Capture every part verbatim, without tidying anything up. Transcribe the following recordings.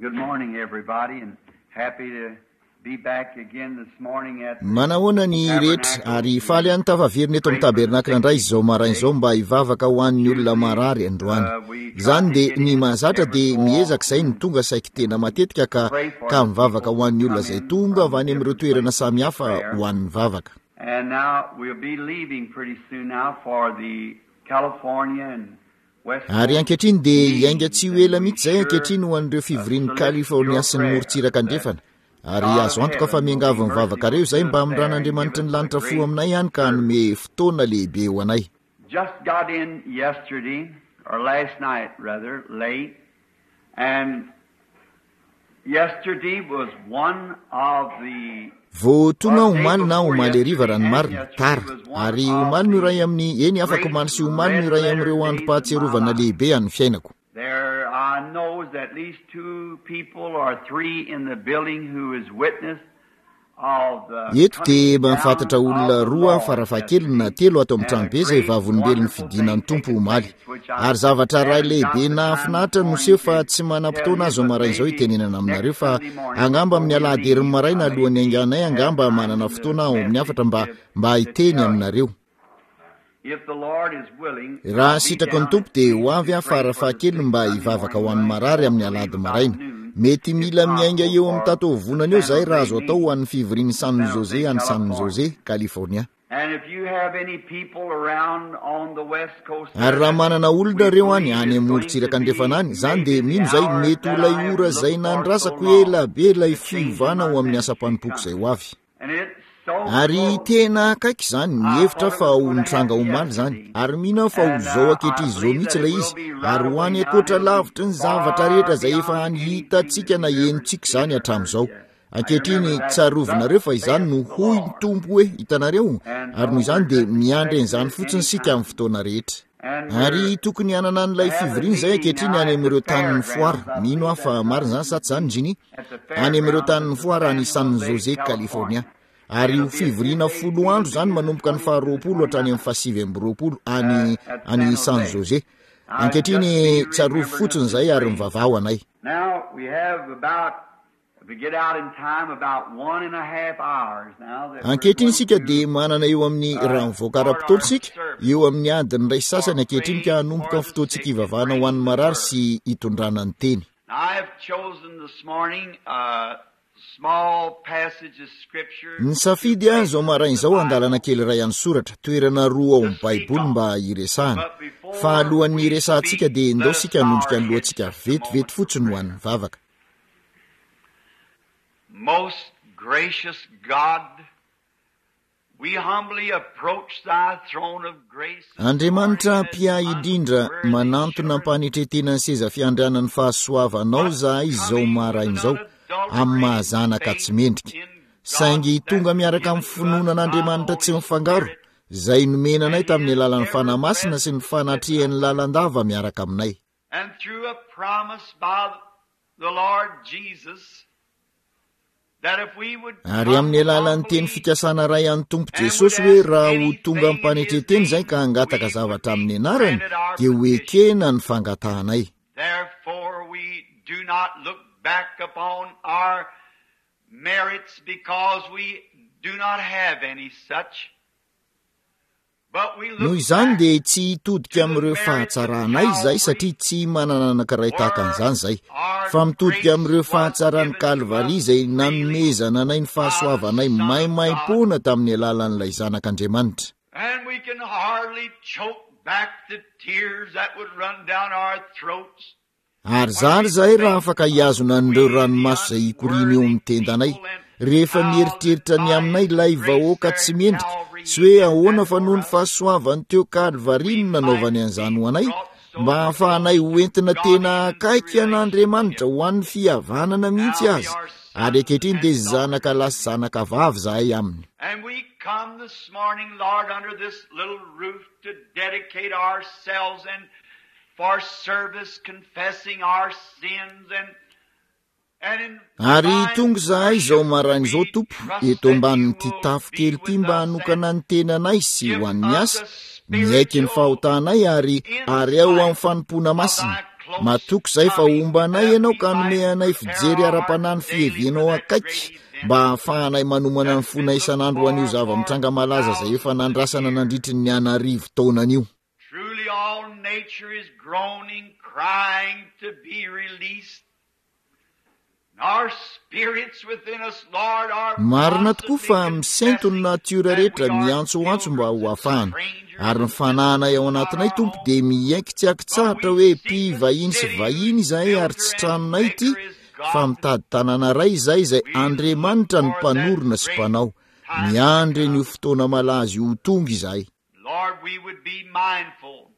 Good morning, everybody, and happy to be back again this morning at Manahoana ny rehetra ary faly any tafaverina eto amin'ny tabernakla indray izao maraina izao mba hivavaka ho an'ny olona marary androany. Izany dia ny mahazatra dia miezaka izay ny tonga saiky tena matetika ka ka mivavaka ho an'ny olona izay tonga avy any amin'ireo toerana samihafa ho an'ny vavaka. And now we'll be leaving pretty soon now for the California and West Ary ankehitriny dia hiainga tsy ho ela mihitsy izay ankehitriny ho an'ireo fivorian'ny California sy ny morontsiraka andrefana. Ary azo antoka fa miangavy ny vavakareo izay mba hamindran'Andriamanitry ny lanitra fo aminay ihany ka hanome fotoana lehibe ho anay. Just got in yesterday, or last night rather, late, and yesterday was one of the Vao tonga omaly na omaly hariva raha ny marina, tara. Ary omaly no iray amin'ny, eny afaka omaly sy omaly no iray amin'ireo androm-pahatsiarovana lehibe an'ny fiainako. There I knows at least two people or three in the building who is witness of the Eto dia mahafantatra olona roa farafahakeliny na telo ato amin'ny tranobe izay vavolombelon'ny fidinan'ny Tompo omaly. Ary zavatra iray lehibe nahafinaritra no seho fa tsy manam-potoana azo maraina izao hitenenana aminareo fa angamba amin'ny alahady herin'ny maraina alohan'ny hainganay angamba manana fotoana ao amin'ny hafatra mba mba hiteny aminareo. If the Lord is willing, Raha sitraky ny Tompo dia ho avy aho farafahakeliny mba hivavaka ho an'ny marary amin'ny alahady maraina. Mety mila miainga eo amin'ny tataovonana eo izahay raha azo atao ho an'ny fivorian'ny San Jose any San Jose, California. And if you have any people around on the west coast, Ary raha manana olona ireo any any amin'ny morontsiraka andrefana any, izany dia mino izay mety ho ilay ora izay nandrasako ela be ilay fiovana ho amin'ny asam-panompoko izay ho avy. and it's so Ary close. tena akaiky izany, mihevitra fa ho nitranga omaly izany. Ary mino aho fa ho izao ankehitriny izao mihitsy ilay izy. Ary ho any ankoatra lavitry ny zavatra rehetra izay efa any hitantsika na henontsika izany hatramin'izao. Ankehitriny tsarovinareo fa izany no hoy ny Tompo hoe hitanareo, ary noho izany dia miandry an'izany fotsiny isika amin'ny fotoana rehetra. Ary tokony hanana an'ilay fivoriana izay ankehitriny any amin'ireo tanin'ny foara. Mino aho fa marina izany sa tsy izany, Ginny? Any amin'ireo tanin'ny foara any San Jose, California. Ary ho fivoriana folo andro izany manomboka ny faharoapolo hatrany amin'ny fahasivy amby roapolo any any San Jose. Ankehitriny tsarovy fotsiny izay ary mivavaha ho anay. Now we have about, if we get out in time, about one and a half hours now. That we're Ankehitriny going isika to dia manana eo amin'ny raha mivoaka ara-potoana isika, eo amin'ny adiny iray sasany ankehitriny ka hanomboka ny fotoantsika hivavahana ho an'ny marary sy hitondrana ny teny. I have chosen this morning a small passage of scripture. Ny safidy aho izao maraina izao andalana kely iray any soratra, toerana roa ao amin'ny Baiboly mba hiresahana. Fa alohan'ny hiresahantsika dia ndao isika hanondrika ny lohantsika vetivety fotsiny ho an'ny vavaka. Most gracious God, we humbly approach thy throne of grace. Andriamanitra mpiahy indrindra, manantona am-panetretena ny seza fiandrianan'ny fahasoavanao izahay izao maraina izao, amin'ny mahazanaka tsy mendrika. Saingy tonga miaraka amin'ny finoana an'Andriamanitra tsy mifangaro, izay nomena anay tamin'ny alalan'ny Fanahy Masina sy ny fanatrehan'ny lalandava miaraka aminay. And through a promise by the Lord Jesus that if we would Ary amin'ny alalan'ny teny fikasana iray an'ny Tompo Jesosy hoe raha ho tonga am-panetretena izay ka hangataka zavatra amin'ny anarany, dia ho ekena ny fangatahanay. Therefore we do not look back upon our merits because we do not have any such. But we Noho look izany back dia tsy hitodika amin'ireo fahatsaranay izay satria tsy manana anankiray tahaka an'izany izay, fa mitodika amin'ireo fahatsaran'ny Kalvary izay nanomezana anay ny fahasoavanay maimaimpoana tamin'ny alalan'ilay Zanak'Andriamanitra. And we can hardly choke back the tears that would run down our throats. Ary zary izahay raha afaka hihazona an'ireo ranomaso izay hikoriana eo amin'ny tendanay, rehefa mieritreritra ny aminay ilay vahoaka tsy mendrika, sy hoe ahoana fa noho ny fahasoavany teo Kalvary no nanaovany an'izany ho anay, mba hahafahanay ho entina tena akaiky an'Andriamanitra ho an'ny fihavanana mihitsy azy. Ary ankehitriny dia zanaka lahy sy zanaka vavy izahay aminy. And we come this morning, Lord, under this little roof to dedicate ourselves and for service, confessing our sins and and in Ary tonga izahay izao maraina izao Tompo, eto ambanin'ity tafo kely ity mba hanokana ny tenanay sy ho an'ny asa, miaiky ny fahotanay ary ary ao amin'ny fanompoana masina. Matoky izay fa homba anay ianao ka hanome anay fijery ara-panahy ny fihevenao akaiky mba hahafahanay manomana ny fonay isan'andro ho an'io zava-mitranga malaza izay efa nandrasana nandritry ny anarivo taonan'io. Truly all nature is groaning, crying to be released. Our spirits within us, Lord, are Marina tokoa fa misento ny natiora rehetra miantsoantso mba ho afahana, ary ny fanahinay ao anatinay Tompo dia miaiky tsy ankitsahatra hoe mpivahiny sy vahiny izahay ary tsy tranonay ity, fa mitady tanàna iray izay izay Andriamanitra ny mpanorina sy mpanao. Miandry an'io fotoana malaza io ho tonga izahay. Lord, we would be mindful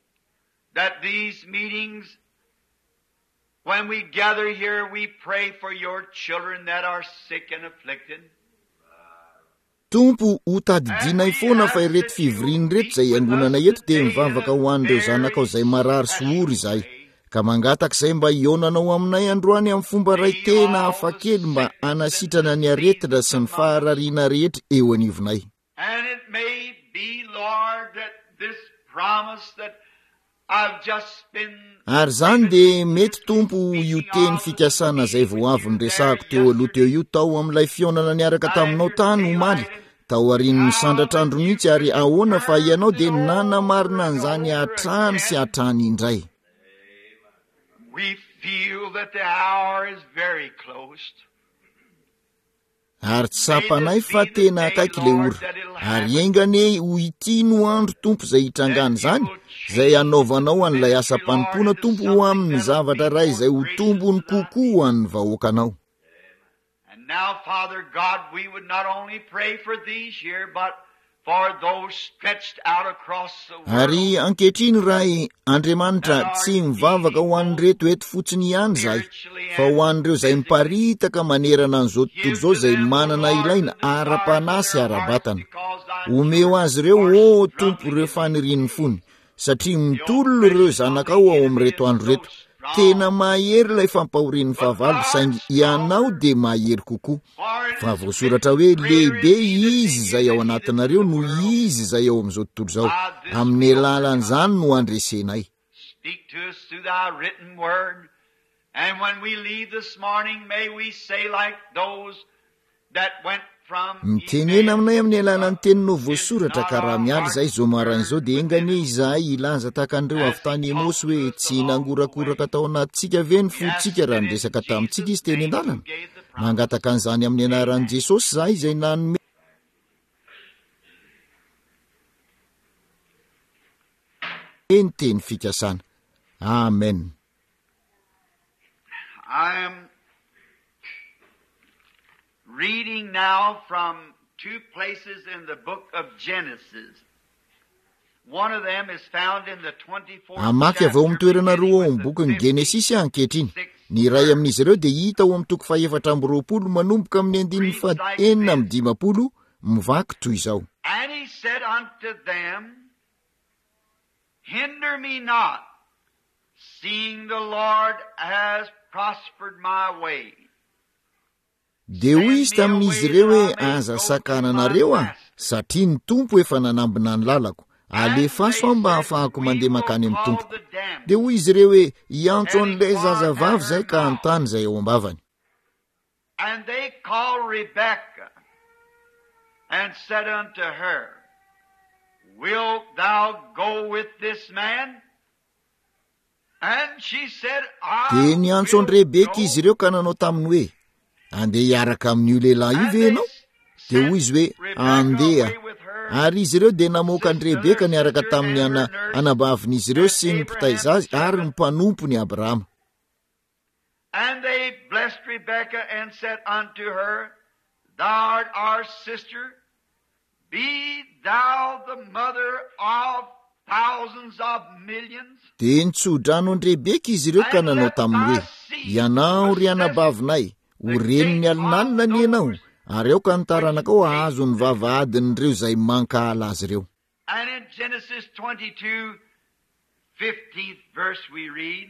that these meetings, when we gather here, we pray for your children that are sick and afflicted. Tompo, ho tadidinay foana fa ireto fivoriana ireto izay iangonana eto dia mivavaka ho an'ireo zanakao izay marary sy ory izahay, ka mangataka izay mba hihaonanao aminay androany amin'ny fomba iray tena hafakely mba hanasitrana ny aretina sy ny faharariana rehetra eo anivonay. And it may be, Lord, that this promise that I've just been Ary izany dia mety Tompo io teny fikasana izay vao avy niresahako teo aloha teo io tao amin'ilay fihaonana niaraka taminao tany omaly, tao aorian'ny sandratr'andro mihitsy, ary ahoana fa ianao dia nanamarina an'izany hatrany sy hatrany indray. We feel that the hour is very close. Ary tsapanay fa tena akaiky ilay ora, ary enga anie ho ity no andro Tompo izay hitrangana izany, izay hanaovanao an'ilay asa-panompoana Tompo ho amin'ny zavatra iray izay ho tombony kokoa ho an'ny vahoakanao. And now, Father God, we would not only pray for these here, but for those stretched out across the world. Ary ankehitriny Ray Andriamanitra, tsy mivavaka ho an'ireto eto fotsiny ihany izahay, fa ho an'ireo izay miparitaka manerana an'izao tontolo izao izay manana ilaina ara-panahy sy ara-batana. Omeo azy ireo, ô Tompo, ireo fanirian'ny fony, satria mitolona ireo zanakao ao amin'ireto andro ireto. Tena mahery ilay fampahorian'ny fahavalo, saingy ianao dia mahery kokoa. Fa voasoratra hoe lehibe izy izay ao anatinareo no izy izay ao amin'izao tontolo izao. Amin'ny alalan'izany no andresenay. Speak to us through thy written word. And when we leave this morning, may we say like those that went from Mitenena aminay amin'ny alalan'ny teninao voasoratra, ka raha miala izahay izao maraina izao dia enga anie izahay hilaza tahaka an'ireo avy tany Emaosy hoe tsy nangorakoraka tao anatintsika ve ny fontsika raha niresaka tamintsika izy teny an-dalana. Mangataka an'izany amin'ny anaran'i Jesosy izahay izay nanome ny teny fikasana. Amen. I am reading now from two places in the book of Genesis. One of them is found in the twenty-fourth Hamaky avy ao amin'ny toerana roa ao amin'ny bokin'ny Genesisy ankehitriny. Ny iray amin'izy ireo dia hita ao amin'ny toko fahefatra amby roapolo manomboka amin'ny andininy fahaenina amby dimampolo, mivaky toy izao. And he said unto them, Hinder me not, seeing the Lord has prospered my way. Dia hoy izy tamin'izy ireo hoe aza sakananareo aho, satria ny Tompo efa nanambina ny lalako. Alefaso aho mba hahafahako mandeha mankany amin'ny Tompoko. Dia hoy izy ireo hoe hiantso an'ilay zazavavy izay ka hanontany izay ao am-bavany. And they called Rebekah and said unto her, Wilt thou go with this man? And she said, I Dia niantso an'i Rebeka izy ireo ka nanao taminy hoe andeha hiaraka amin'io lehilahy io ve ianao? Dia hoy izy hoe andeha. Ary izy ireo dia namoaka an'i Rebeka niaraka tamin'ny ana-, anabavin'izy ireo sy ny mpitaiza azy ary ny mpanompony Abrahama. And they blessed Rebekah and said unto her, Thou art our sister, be thou the mother of thousands of millions. Dia nitsodrano an'i Rebeka izy ireo ka nanao taminy hoe, Ianao ry anabavinay, ho renin'ny alinalina ny ianao, ary aoka ny taranakao hahazo ny vavahadin'ireo izay mankahala azy ireo. And in Genesis twenty-two, fifteenth verse we read,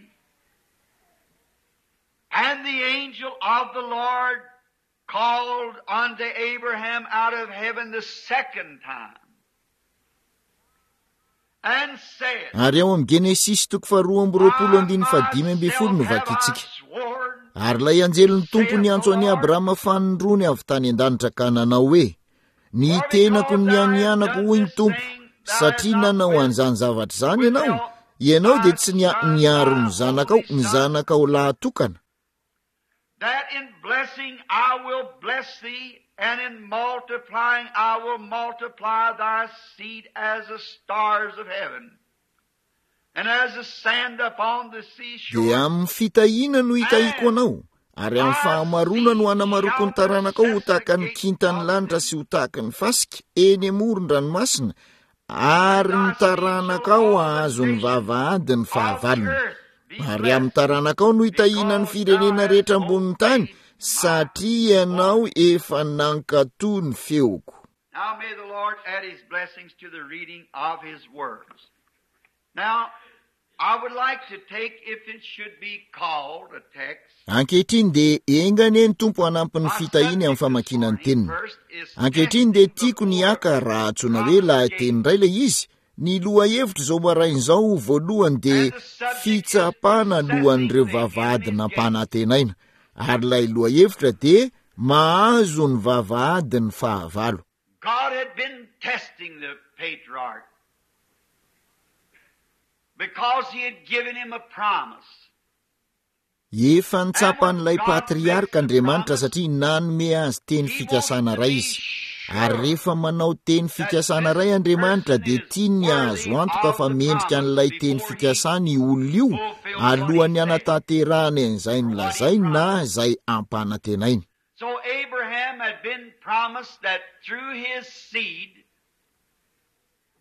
And the angel of the Lord called unto Abraham out of heaven the second time, And said, Ary ao amin'ny Genesisy toko faharoa amby roapolo andininy fahadimy ambin'ny folo no Myself have I vakintsika. sworn, Ary ilay anjelin'ny Tompo niantso an'i Abrahama fanindroany avy tany an-danitra ka nanao hoe: Ny tenako no nianianako, hoy ny Tompo, satria nanao an'izany zavatra izany ianao, ianao dia tsy nia- niaro ny zanakao, ny zanakao lahatokana. that in blessing I will bless thee, and in multiplying I will multiply thy seed as the stars of heaven, and as the sand upon the seashore. Dia amin'ny fitahiana no hitahiko anao, ary amin'ny fahamaroana no hanamaroko ny taranakao ho tahaka ny kintan'ny lanitra sy ho tahaka ny fasika eny amoron-dranomasina, ary ny taranakao hahazo ny vavahady ny fahavalony. Ary amin'ny taranakao no hitahiana ny firenena rehetra ambonin'ny tany, satria ianao efa nankatò ny feoko. Now may the Lord add his blessings to the reading of his words. Now, I would like to take, if it should be called a text, Ankehitriny dia enga anie ny Tompo hanampy ny fitahiany amin'ny famakiana ny teniny. Ankehitriny dia tiako ny haka raha antsoina hoe lahateny iray ilay izy. Ny lohahevitra izao maraina izao voalohany dia fitsapana alohan'ireo vavahady nampanantenaina, ary ilay lohahevitra dia mahazo ny vavahady ny fahavalo. God had been testing the patriarch because he had given him a promise. Efa nitsapan'ilay patriarka Andriamanitra satria nanome azy teny fikasana iray izy. Ary rehefa manao teny fikasana iray Andriamanitra dia tiany ny hahazo antoka fa mendrika an'ilay teny fikasana io olona io alohan'ny hanatanterahany an'izay nolazainy na izay ampanantenainy. So Abraham had been promised that through his seed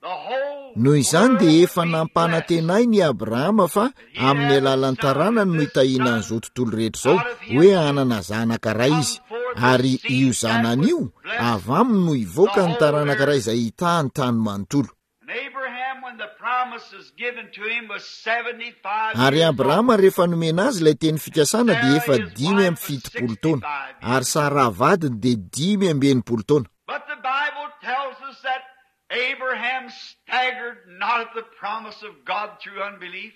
the whole Noho izany dia efa world would be blessed. nampanantenainy i Abrahama fa amin'ny alalan'ny taranany no hitahiana an'izao tontolo rehetra izao, hoe hanana zanaka iray izy, ary io zanany io avy aminy no hivoaka ny taranaka iray izay hitahy ny tany manontolo. And Abraham, when the promise was given to him, was seventy-five Ary years Abrahama old. rehefa nomena azy ilay teny fikasana dia efa dimy amby fitopolo taona, ary Sara vadiny dia dimy amby enimpolo taona. But the Bible tells us that Abraham staggered not at the promise of God through unbelief,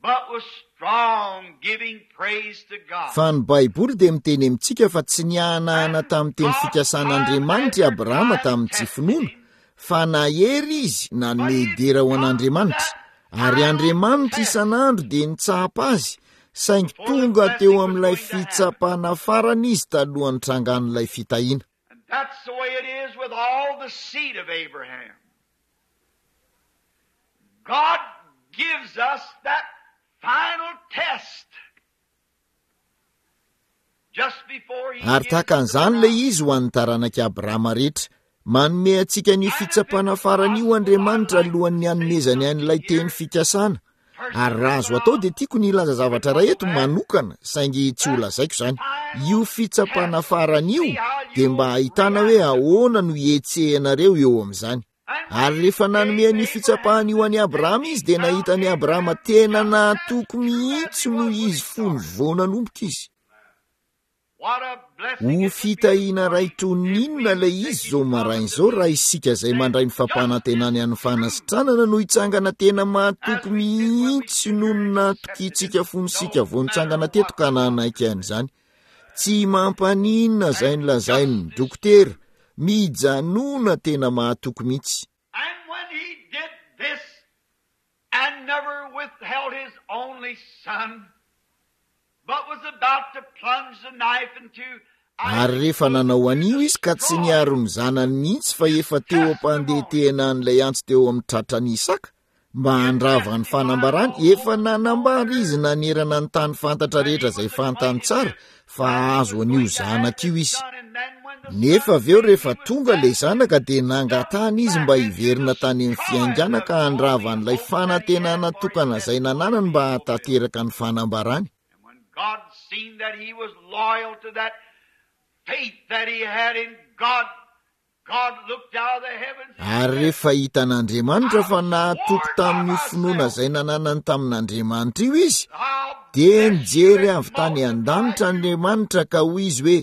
but was strong, giving praise to God. Fa ny Baiboly dia miteny amintsika fa tsy nihanahana tamin'ny teny fikasan'Andriamanitra i Abrahama tamin'ny tsy finoana, fa nahery izy nanome dera ho an'Andriamanitra, ary Andriamanitra isan'andro dia nitsapa azy, saingy tonga teo amin'ilay fitsapana farany izy talohan'ny trangan'ilay fitahiana. And that's the way it is with all the seed of Abraham. God gives us that final test just before he Ary gives tahaka us the an'izany ilay promise. izy ho an'ny taranak'i Abrahama rehetra. Manome antsika ny fitsapana farany io Andriamanitra alohan'ny hanomezany an'ilay teny fikasana. Ary raha azo atao dia tiako ny hilaza zavatra iray eto manokana, saingy tsy ho lazaiko izany. Io fitsapana farany io dia mba ahitana hoe ahoana no hihetsehanareo eo amin'izany. Ary rehefa nanome ny fitsapana io an'i Abrahama izy dia nahita an'i Abrahama tena nahatoky mihitsy noho izy fony vao nanomboka izy. What a blessing Ho it would be fitahiana iray toy ny inona ilay izy izao maraina izao raha isika izay mandray ny fampanantenany an'ny fanasitranana no hitsangana tena mahatoky mihitsy noho ny nahatokintsika fony isika vao nitsangana teto ka nanaiky an'izany. Tsy mampaninona izay nolazain'ny dokotera, mijanona tena mahatoky mihitsy. And when he did this and never withheld his only son, but was about to plunge the knife into Ary rehefa nanao an'io izy ka tsy niaro ny zanany mihitsy fa efa teo am-pandetehana an'ilay antsy teo amin'ny tratran'i Isaka mba handrava ny fanambarany, efa nanambara izy nanerana ny tany fantatra rehetra izay fantany tsara fa hahazo an'io zanaka io izy. Nefa avy eo rehefa tonga ilay zanaka dia nangatahana izy mba hiverina tany amin'ny fiaingàna ka handrava an'ilay fanantenana tokana izay nananany mba hahatanteraka ny fanambarany. And when God seen that he was loyal to that faith that he had in God, God looked out of the heavens and Ary said, rehefa hitan'Andriamanitra fa nahatoky tamin'io finoana izay nananany tamin'Andriamanitra io izy, I'll dia bless you nijery and avy tany multiply an-danitra you. Andriamanitra ka hoy izy hoe: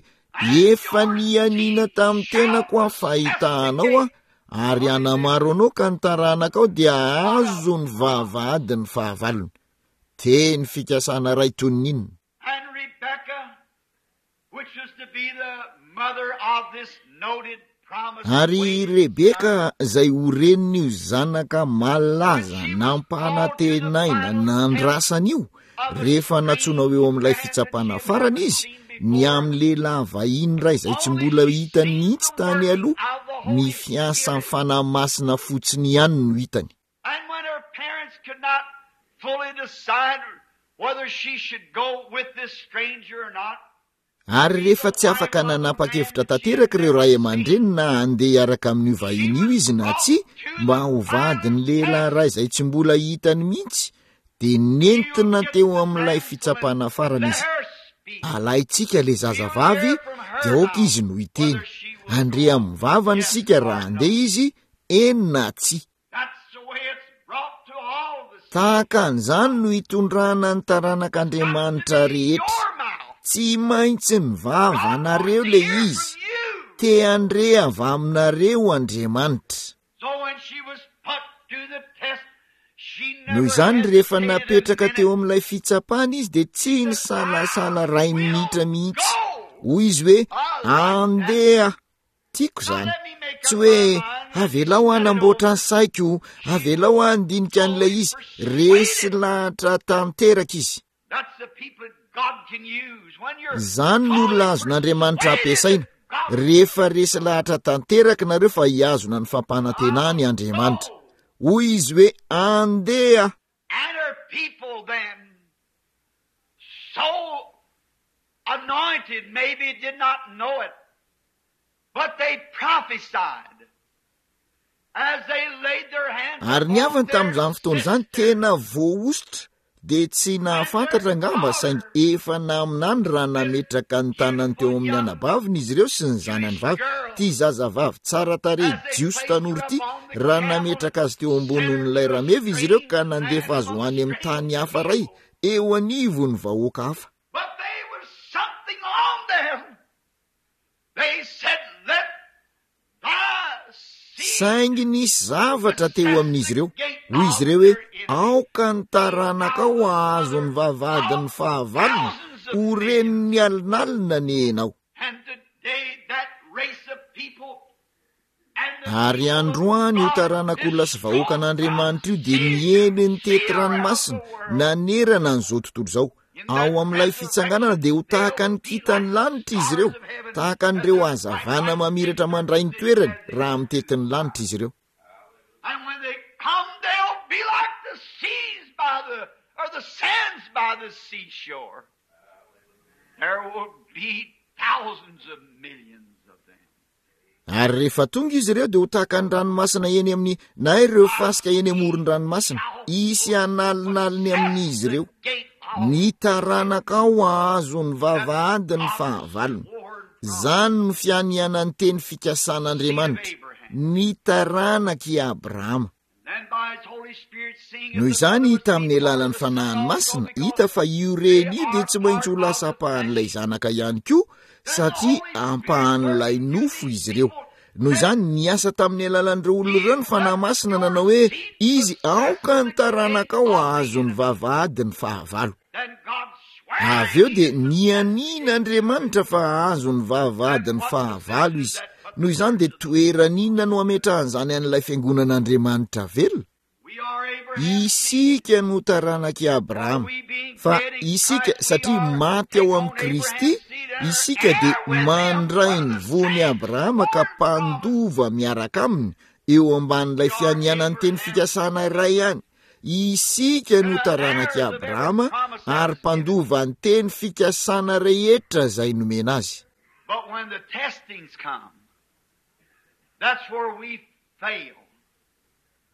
efa nianiana tamin'ny tenako aho fa hitahanao aho, ary hanamaro anao ka ny taranakao dia hahazo ny vavahadin'ny fahavalony. Teny fikasana iray toy ny inona? And Rebekah, which was to be the mother of this noted promise, Ary Rebeka izay ho renin'io zanaka malaza nampanantenaina nandrasana io, rehefa nantsoina ho eo amin'ilay fitsapana farany izy, ny amin'ny lehilahy vahiny iray izay tsy mbola hitany mihitsy tany aloha, ny fiasan'ny Fanahy Masina fotsiny ihany no hitany. And when her parents could not fully decide whether she should go with this stranger or not, Ary rehefa tsy afaka nanapa-kevitra tanteraka ireo ray aman-dreny na handeha hiaraka amin'io vahiny io izy na tsia, mba ho vadin'ny lehilahy iray izay tsy mbola hitany mihitsy, dia nentina teo amin'ilay fitsapana farany izy. Alaintsika ilay zazavavy, dia aoka izy no hiteny. Handre amin'ny vavany isika raha handeha izy, eny na tsia. That's the way it's brought to all the Tahaka an'izany no hitondrana ny taranak'Andriamanitra rehetra. Your mouth. Tsy maintsy ny vavanareo le izy. Te handre avy aminareo Andriamanitra. So when she was put to the test, she Noho never izany rehefa hesitated a napetraka teo minute. amin'ilay fitsapana izy dia tsy nisalasala iray minitra mihitsy. Hoy izy hoe andeha, tiako izany. Tsy hoe avelao hanamboatra ny saiko, avelao handinika an'ilay izy. Resy lahatra tanteraka izy. That's the people that God can use. When you're Izany no olona azon'Andriamanitra ampiasaina. Rehefa resy lahatra tanteraka nareo fa hihazona ny fampanantenany Andriamanitra. Hoy izy hoe andeha. And her people then, so anointed, maybe did not know it, but they prophesied as they laid their hands Ary ny havany upon their tamin'izany fotoana izany sister. tena voahosotra dia tsy nahafantatra angamba saingy efa naminany raha nametraka ny tanany teo amin'ny anabaviny izy ireo sy ny zanany vavy. Ty zazavavy tsara tarehy jiosy tanora ity raha nametraka azy teo ambonin'ilay rameva izy ireo ka nandefa azy ho any amin'ny tany hafa iray eo anivon'ny vahoaka hafa. But there was something on them. They said, let thy seed Saingy nisy zavatra teo amin'izy ireo. Hoy izy ireo hoe aoka ny taranakao hahazo ny vavahadin'ny fahavalony, ho renin'ny alinalina ny enao. And today that race of people and the Ary androany io taranak'olona sy vahoakan'Andriamanitra io dia niely ny tety ranomasina nanerana an'izao tontolo izao. Ao amin'ilay fitsanganana dia ho tahaka ny kintan'ny lanitra izy ireo, tahaka an'ireo hazavana mamiratra mandray ny toerany raha mitety ny lanitra izy ireo. And when they come, they'll be like the seas by the or the sands by the seashore. There will be thousands of millions of them. Ary rehefa tonga izy ireo dia ho tahaka ny ranomasina eny amin'ny na ireo fasika eny amoron-dranomasina. Hisy analinaliny amin'izy ireo. Ny taranakao hahazo ny vavahadin'ny fahavalony. Izany no fianianan'ny teny fikasan'Andriamanitra. Ny taranak'i Abrahama. Then by His Holy Spirit, seeing Noho izany tamin'ny alalan'ny Fanahiny Masina, hita fa io reny io dia tsy maintsy ho lasa ampahan'ilay zanaka ihany koa, satria ampahan'ilay nofo izy ireo. Noho izany niasa tamin'ny alalan'ireo olona ireo ny Fanahy Masina nanao hoe izy aoka ny taranakao hahazo ny vavahadin'ny fahavalo. Then God swear Avy eo dia nianiana Andriamanitra fa hahazo ny vavahadin'ny fahavalo izy. Noho izany dia toerana inona no ametrahan'izany an'ilay fiangonan'Andriamanitra velona? we are Abraham's Isika no taranak'i Abrahama. Fa isika satria maty ao amin'ny Kristy, isika dia mandray ny voan'i Abrahama ka mpandova miaraka aminy eo ambanin'ilay fianianan'ny teny fikasana iray ihany. Isika no taranak'i Abrahama ary mpandova ny teny fikasana rehetra izay nomena azy. But when the testings come, that's where we fail.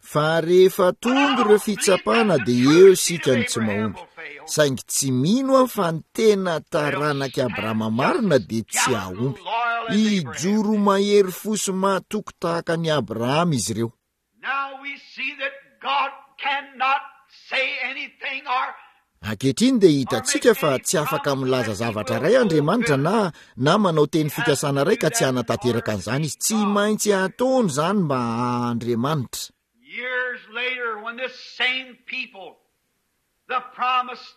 Fa rehefa tonga ireo fitsapana dia eo isika no tsy mahomby. Saingy tsy mino aho fa ny tena taranak'i Abrahama marina dia tsy hahomby. Hijoro mahery fo sy mahatoky tahaka ny Abrahama izy ireo. Now we see that God cannot say anything or Ankehitriny dia hitantsika fa tsy afaka milaza zavatra iray Andriamanitra na na manao teny fikasana iray ka tsy hanatanteraka an'izany izy. Tsy maintsy ataony izany mba Andriamanitra. Years later, when this same people, the promised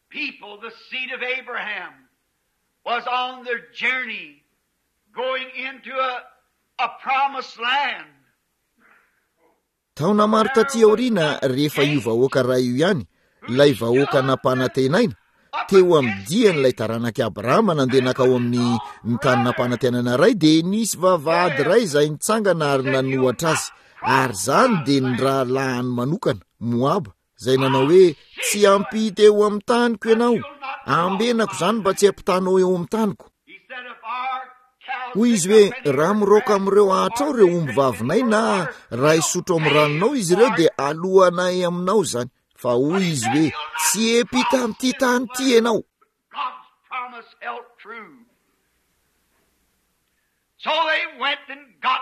people, the seed of Abraham, was on their journey going into a, a promised land. Taona maro taty aoriana, rehefa io vahoaka iray io ihany, ilay vahoaka nampanantenaina, teo amin'ny dian'ilay taranak'i Abrahama nandeha nankao amin'ny ny tany nampanantenana iray, dia nisy vavahady iray izay nitsangana ary nanohatra azy. Ary izany dia ny rahalahiny manokana, Moaba, izay nanao hoe tsy hampita eo amin'ny taniko ianao, ambenako izany mba tsy hampitanao eo amin'ny taniko. Hoy izy hoe raha miroaka amin'ireo ahitrao ireo omby vavinay na raha hisotro amin'ny ranonao izy ireo dia alohanay aminao izany. Fa hoy izy hoe tsy hampita amin'ity tany ity ianao. God's promise held true. So they went and got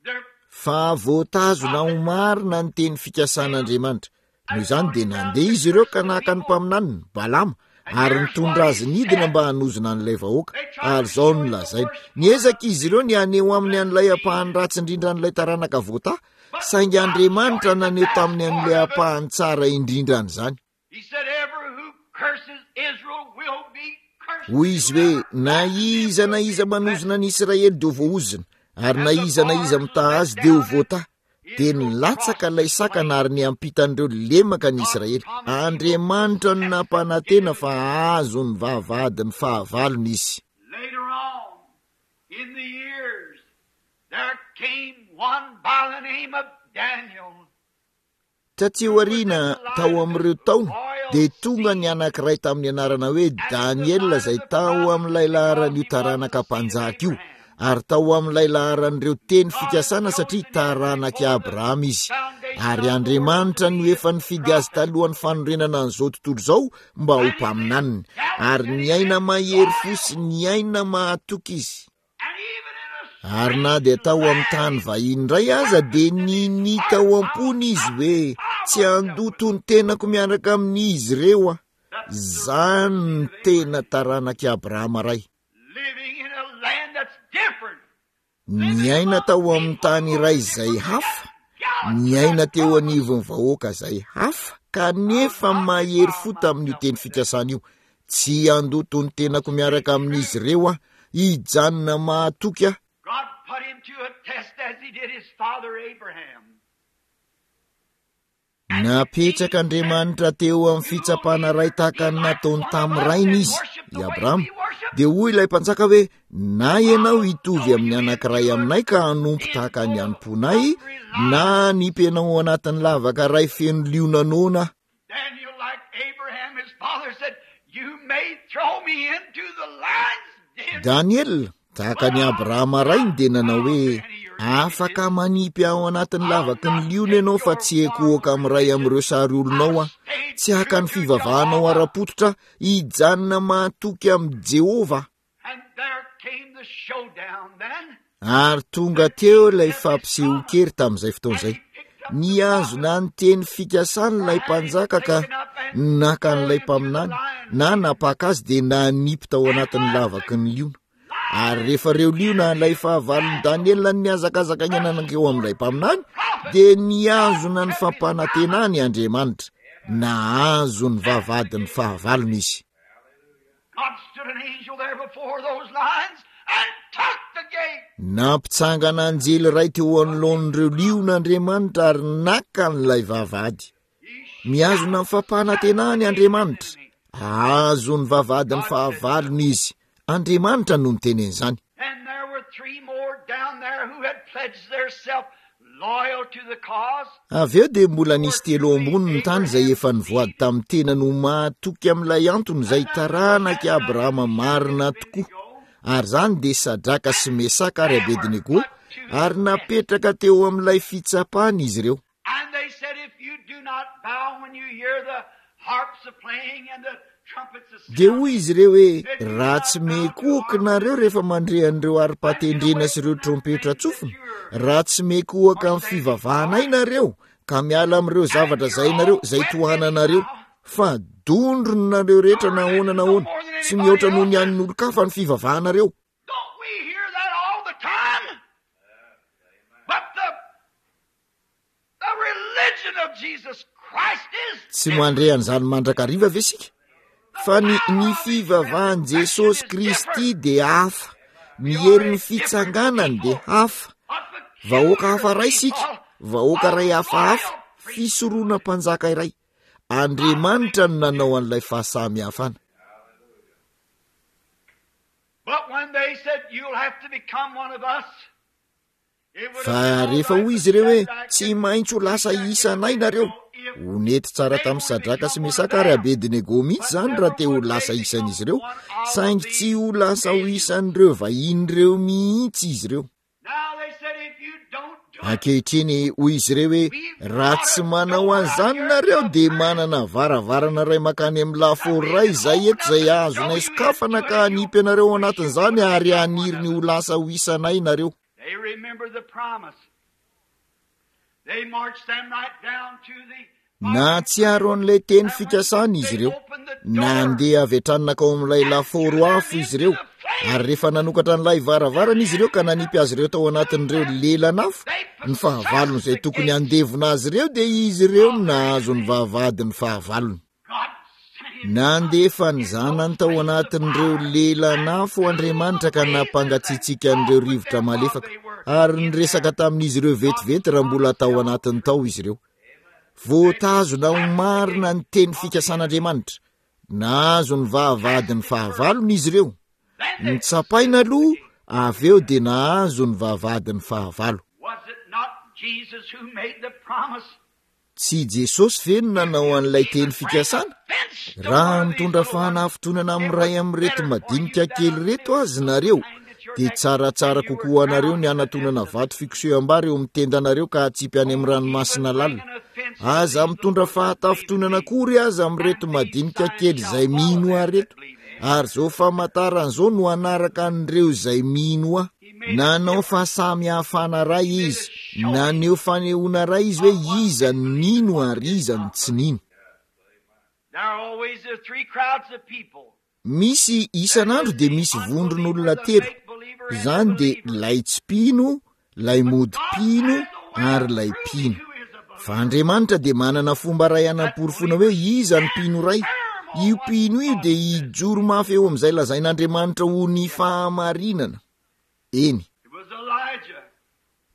their Fa voatazona ho marina ny teny fikasan'Andriamanitra. Noho izany dia nandeha izy ireo ka naka ny mpaminaniny, Balama, ary nitondra azy nidina mba hanozona an'ilay vahoaka. Ary izao no lazainy, niezaka izy ireo ny haneho aminy an'ilay ampahany ratsy indrindra an'ilay taranaka voata, saingy Andriamanitra naneho taminy an'ilay ampahany tsara indrindra an'izany. He said, "Every who curses Israel will be cursed." Hoy izy hoe na iza na iza manozona ny Israely dia ho voaozona, ary na iza na iza mitaha azy dia ho voata. Dia nilatsaka ilay sakana ary niampitan'ireo lemaka ny Israely. Andriamanitra no nampanantena fa hahazo ny vavahadin'ny fahavalony izy. Later on, in the years, there came one by the name of Daniel. Taty aoriana tao amin'ireo taona dia tonga ny anankiray tamin'ny anarana hoe Daniela izay tao amin'ilay laharan'io taranaka mpanjaka io, ary tao amin'ilay laharan'ireo teny fikasana satria taranak'i Abrahama izy. Ary Andriamanitra no efa nifidy azy talohan'ny fanorenana an'izao tontolo izao mba ho mpaminaniny, ary niaina mahery fo sy niaina mahatoky izy. And even in a Ary na dia tao amin'ny tany vahiny indray aza dia nini tao am-pony izy hoe tsy handoto ny tenako miaraka amin'izy ireo aho. Zany ny tena taranak'i Abrahama ray. living in a land that's different. Niaina tao amin'ny tany iray izay hafa, niaina teo anivon'ny vahoaka izay hafa, kanefa mahery fo tamin'io teny fikasana io. Tsy handoto ny tenako miaraka amin'izy ireo aho, hijanona mahatoky aho. God put him to a test as he did his father Abraham. Napetraka Andriamanitra teo amin'ny fitsapana iray tahaka ny nataony tamin'ny rainy izy, i Abrahama. Dia hoy ilay mpanjaka hoe na ianao hitovy amin'ny anankiray aminay ka hanompo tahaka ny hanomponay, na hanipy ianao ao anatin'ny lavaka iray feno liona noana. Daniel, like Abraham, his father, said, "You may throw me into the lion's den." Daniel, tahaka ny Abrahama rainy, dia nanao hoe afaka manipy ao anatin'ny lavaky ny liona ianao fa tsy ekohoka amin'iray amin'ireo sary olonao aho. Tsy haka ny fivavahanao ara-pototra, hijanona mahatoky amin'i Jehovah. And there came the showdown then. Ary tonga teo ilay fampisehoan-kery tamin'izay fotoana izay. Nihazona ny teny fikasany ilay mpanjaka ka naka an'ilay mpaminany na napaka azy dia nanipy tao anatin'ny lavaky ny liona. Ary rehefa ireo liona ilay fahavalon'i Daniela nihazakazaka nankeo amin'ilay mpaminany dia nihazona ny fampanantenany Andriamanitra. Nahazo ny vavahadin'ny fahavalony izy. God stood an angel there before those lions and took the gate. Nampitsangana anjely iray teo anoloan'ireo liona Andriamanitra ary naka an'ilay vavahady. Mihazona ny fampanantenany Andriamanitra. Azo ny vavahadin'ny fahavalony izy. Andriamanitra no niteny an'izany. And there were three more down there who had pledged themselves loyal to the cause. Avy eo dia mbola nisy telo ambony ny tany izay efa nivoady tamin'ny tena no mahatoky amin'ilay antony izay taranak'i Abrahama marina tokoa. Ary izany dia Sadraka sy Mesaka ary Abednego, ary napetraka teo amin'ilay fitsapana izy ireo. And they said, if you do not bow when you hear the harps a playing and the trumpets a Dia hoy izy ireo hoe raha tsy mikohoka nareo rehefa mandre an'ireo haripatendrena sy ireo trompetra tsofina, raha tsy mikohoka amin'ny fivavahanay nareo ka miala amin'ireo zavatra izay nareo izay tohananareo, Fa dondronareo rehetra na ahoana na ahoana, tsy mihoatra noho ny an'ny olon-kafa ny fivavahanareo. Don't we hear that all the time? But the, the religion of Jesus Christ is Tsy mandre an'izany mandrakariva ve isika? Fa ny, ny fivavahan'i Jesosy Kristy dia hafa, ny herin'ny fitsanganany dia hafa. Vahoaka hafa iray isika, vahoaka iray hafahafa, fisorona mpanjaka iray. Andriamanitra no nanao an'ilay fahasamihafana. But when they said, "You'll have to become one of us," it would Fa have been rehefa all hoy right izy ireo hoe with tsy maintsy ho lasa isanay nareo, ho nety tsara tamin'ny Sadraka sy Mesaka ary Abednego mihitsy izany raha te ho lasa isan'izy ireo, saingy tsy ho lasa ho isan'ireo vahiny ireo mihitsy izy ireo. Now they said, "If you don't do it, Ankehitriny hoy izy ireo hoe raha tsy manao an'izany nareo dia manana varavarana iray mankany amin'ny lafaoro iray izay eto izay azonay sokafana ka hanipy anareo ao anatin'izany ary haniry ny ho lasa ho isanay nareo. They remember the promise. They marched them right down to the Nahatsiaro an'ilay teny fikasana izy ireo. Nandeha avy hatrany nankao amin'ilay lafaoro afo izy ireo, ary rehefa nanokatra an'ilay varavarana izy ireo ka nanipy azy ireo tao anatin'ireo lelan'afo, ny fahavalony izay tokony handevona azy ireo dia izy ireo no nahazo ny vavahadin'ny fahavalony. God sent his Nandefa ny zanany tao anatin'ireo lelan'afo Andriamanitra ka nampangatsiatsiaka an'ireo rivotra malefaka, ary niresaka tamin'izy ireo vetivety raha mbola tao anatiny tao izy ireo. Voatazona ho marina ny teny fikasan'Andriamanitra. Nahazo ny vavahadin'ny fahavalony izy ireo. Nitsapaina aloha, avy eo dia nahazo ny vavahadin'ny fahavalo. Was it not Jesus who made the promise? Tsy Jesosy ve no nanao an'ilay teny fikasana? Raha mitondra fahanafintohinana amin'ny iray amin'ireto madinika kely ireto azy nareo, dia tsaratsara kokoa anareo ny hanatonana vato fikoseham-bary eo amin'ny tendanareo ka hatsipy any amin'ny ranomasina lalina. Aza mitondra fahatafintohinana akory aza amin'ireto madinika kely izay mino ahy ireto. Ary izao famantarana izao no hanaraka an'ireo izay mino ahy. Nanao fahasamihafana iray izy, naneho fanehoana iray izy hoe iza no nino ary iza no tsy nino. There are always the three crowds of people. Misy isan'andro dia misy vondron'olona telo. Izany dia lay tsy mpino, lay mody mpino ary lay mpino. Fa Andriamanitra dia manana fomba iray hanaporofoana hoe iza ny mpino iray. Io mpino io dia hijoro mafy eo amin'izay lazain'Andriamanitra ho ny fahamarinana. Eny. It was Elijah.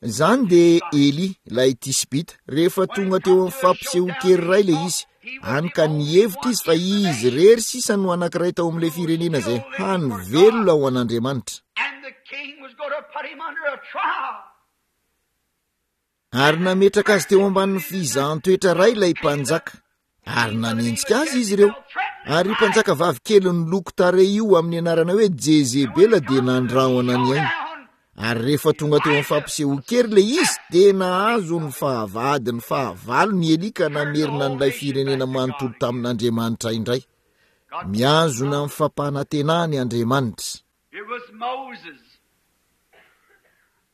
Izany dia Elia, ilay Tisbita, rehefa tonga teo amin'ny fampisehoan-kery iray ilay izy. Hany ka nihevitra izy fa izy irery sisa no anankiray tao amin'ilay firenena izay hany velona ho an'Andriamanitra. And the king was going to put him under a trial. Ary nametraka azy teo ambanin'ny fizahan-toetra iray ilay mpanjaka. Ary nanenjika azy izy ireo. Ary io mpanjaka vavy kely niloko tarehy io amin'ny anarana hoe Jezebela dia nandrahona ny ainy. Ary rehefa tonga teo amin'ny fampisehoan-kery ilay izy dia nahazo ny fahavadin'ny fahavalony Elia ka namerina an'ilay firenena manontolo tamin'Andriamanitra indray. Mihazona ny fampanantenany Andriamanitra. It was Moses.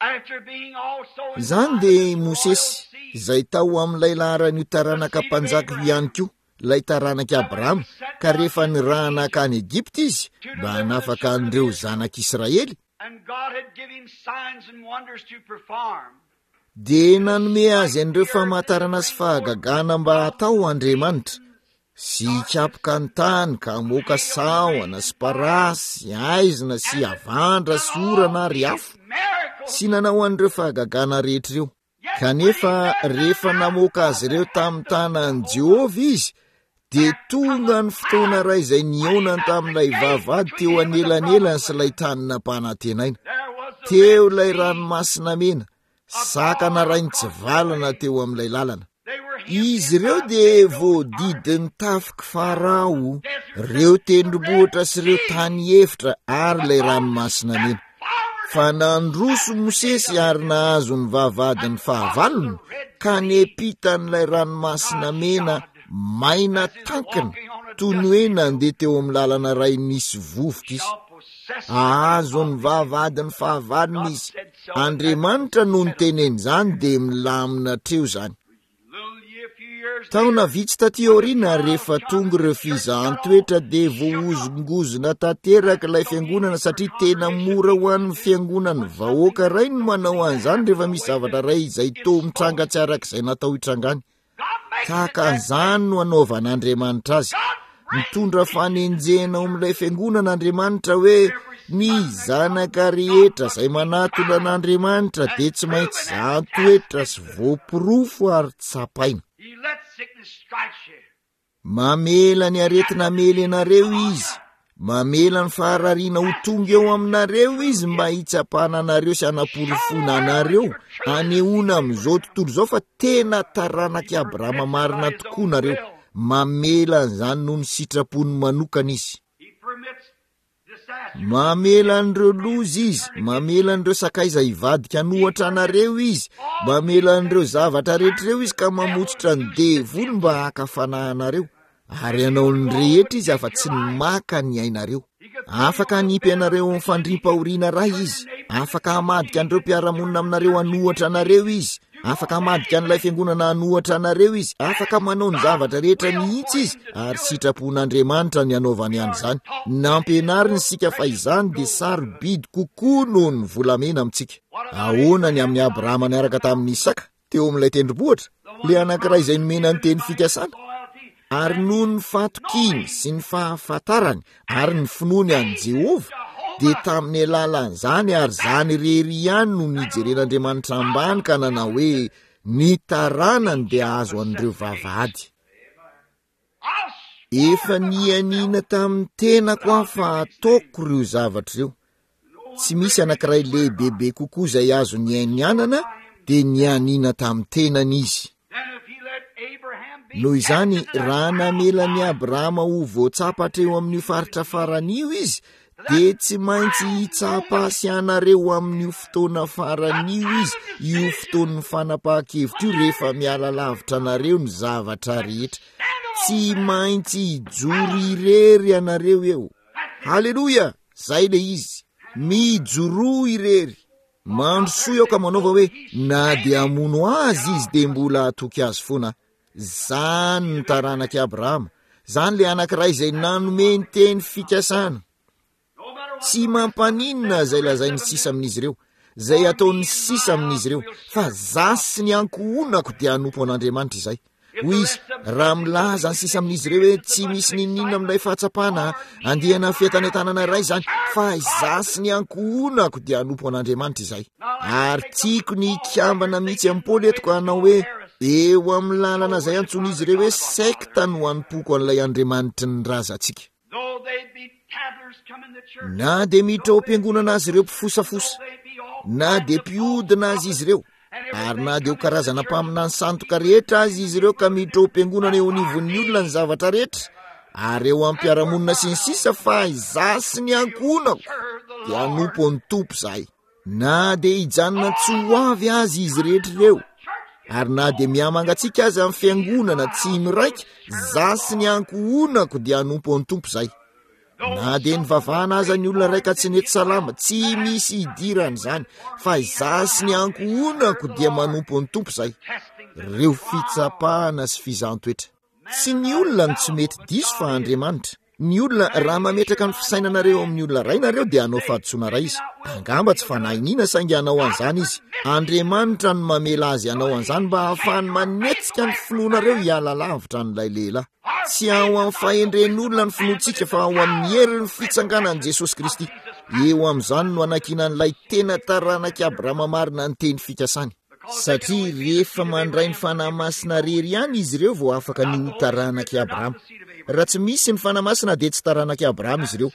After being also in Izany dia Mosesy izay tao amin'ilay laharan'io taranaka mpanjaka io ihany koa, ilay taranak'i Abrahama, ka rehefa nirahana hankany Egypta izy mba hanafaka an'ireo zanak'Israely, and God had given him signs and wonders to perform. dia nanome azy an'ireo famantarana sy fahagagana mba hatao Andriamanitra, sy hikapoka ny tany ka hamoaka sahona sy parasy sy aizina sy avandra sy orana ary afo, Miracles. sy nanao an'ireo fahagagana rehetra ireo. Kanefa rehefa namoaka azy ireo tamin'ny tanan'i Jehovah izy, dia tonga ny fotoana iray izay nihaonany tamin'ilay vavahady teo anelanelany sy ilay tany nampanantenaina. There was the Teo ilay ranomasina mena, sakana iray nitsivalana teo amin'ilay lalana. They were Izy ireo dia voadidin'ny tafiky Farao, ireo tendrombohitra sy ireo tany efitra ary ilay ranomasina mena. Fa nandroso Mosesy ary nahazo ny vavahadin'ny fahavalony ka nempitan'ilay ranomasina mena maina tankina toy ny hoe nandeha teo amin'ny lalana iray nisy vovoka izy. Ahazo ny vavahadin'ny fahavalony izy. Andriamanitra no niteneny izany dia milamina hatreo izany. Little year, few years Taona vitsy taty aoriana, rehefa tonga ireo fizahan-toetra dia voahozongozona tanteraka ilay fiangonana, satria tena mora ho an'ny fiangonan'ny vahoaka iray no manao an'izany rehefa misy zavatra iray izay toa mitranga tsy araka izay natao hitrangany. Tahaka an'izany no anaovan'Andriamanitra azy. Mitondra fanenjehana ao amin'ilay fiangonana Andriamanitra hoe ny zanaka rehetra izay manatona an'Andriamanitra dia tsy maintsy zahan-toetra sy voaporofo ary tsapaina. Mamela ny aretina hamely anareo izy, mamela ny faharariana ho tonga eo aminareo izy mba hitsapana anareo sy hanaporofoana anareo, anehoana amin'izao tontolo izao fa tena taranak'i Abrahama marina tokoa nareo. Mamela an'izany noho ny sitrapony manokana izy. Mamela an'ireo loza izy, mamela an'ireo sakaiza hivadika hanohatra anareo izy, mamela an'ireo zavatra rehetra ireo izy ka mamotsitra ny devoly mba haka fanahy anareo, ary hanao ny rehetra izy afa-tsy ny maka ny ainareo. Afaka hanipy anareo amin'ny fandriam-pahoriana iray izy, afaka hamadika an'ireo mpiara-monina aminareo hanohatra anareo izy, afaka hamadika an'ilay fiangonana hanohatra anareo izy, afaka manao ny zavatra rehetra mihitsy izy, ary sitrapon'Andriamanitra ny hanaovany an'izany. Nampianariny isika fa izany dia sarobidy kokoa noho ny volamena amintsika. Ahoana ny amin'i Abrahama niaraka tamin'i Isaka teo amin'ilay tendrombohitra, ilay anankiray izay nomena ny teny fikasana? Ary noho ny fahatokiany sy ny fahafantarany ary ny finoany an'i Jehovah, dia tamin'ny alalan'izany ary izany irery ihany no nijeren'Andriamanitra ambany ka nanao hoe ny taranany dia azo an'ireo vavahady. Efa nianiana tamin'ny tenako aho fa ataoko ireo zavatra ireo. Tsy misy anankiray lehibebe kokoa izay azo nianianana, dia nianiana tamin'ny tenany izy. Noho izany, raha namela an'i Abrahama ho voatsapa hatreo amin'io faritra farany io izy, dia tsy maintsy hitsapa sy anareo amin'io fotoana farany io izy, io fotoan'ny fanapahan-kevitra io, rehefa miala lavitra anareo ny zavatra rehetra. Tsy maintsy hijoro irery ianareo eo. Haleloia! Zay le izy. Mijoroa irery. Mandrosoa eo ka manaova hoe na dia hamono azy izy dia mbola hatoky azy foana. Zany ny taranak'i Abrahama. Zany le anankiray izay nanome ny teny fikasana. Tsy mampaninona izay lazain'ny sisa amin'izy ireo, izay ataon'ny sisa amin'izy ireo, fa za sy ny ankohonako dia hanompo an'Andriamanitra izay. Hoy izy, raha milaza ny sisa amin'izy ireo hoe tsy misy n'inon'inona amin'ilay fahatsapana andiana fientanentanana iray izany, fa izaho sy ny ankohonako dia hanompo an'Andriamanitra izay. Ary tiako ny hikambana mihitsy amin'i Paoly eto ka hanao hoe eo amin'ny lalana izay antsoin'izy ireo hoe sekta no hanompoako an'ilay Andriamanitry ny razantsika. Na dia miditra ao am-piangonana azy ireo mpifosafosa, na dia mpiodina azy izy ireo, ary na dia ho karazana mpaminany sandoka rehetra azy izy ireo ka miditra ao am-piangonana eo anivon'ny olona ny zavatra rehetra, ary eo am-piarahamonina sy ny sisa, fa izaho sy ny ankohonako dia hanompo ny Tompo izahay. Na dia hijanona tsy ho avy azy izy rehetra ireo, ary na dia mihamangatsiaka aza ny fiangonana tsy miraika, izaho sy ny ankohonako dia hanompo ny Tompo izahay. Na dia nivavahana aza ny olona iray ka tsy nety salama, tsy misy hidirana izany, fa izaho sy ny ankohonako dia manompo ny Tompo izahay. Ireo fitsapana sy fizahan-toetra. Tsy ny olona no tsy mety diso fa Andriamanitra. Ny olona, raha mametraka ny fisainanareo amin'ny olona iray nareo dia hanao fahadisoana iray izy. Angamba tsy fanahiniana saingy hanao an'izany izy. Andriamanitra no mamela azy hanao an'izany mba hahafahany manetsika ny finoanareo hiala lavitra an'ilay lehilahy. Tsy ao amin'ny fahendren'olona ny finoantsika fa ao amin'ny herin'ny fitsanganan'i Jesosy Kristy. Eo amin'izany no anankinan'ilay tena taranak'i Abrahama marina ny teny fikasany. Satria rehefa mandray ny Fanahy Masina irery ihany izy ireo vao afaka ny ho taranak'i Abrahama. Raha tsy misy ny Fanahy Masina dia tsy taranak'i Abrahama izy ireo.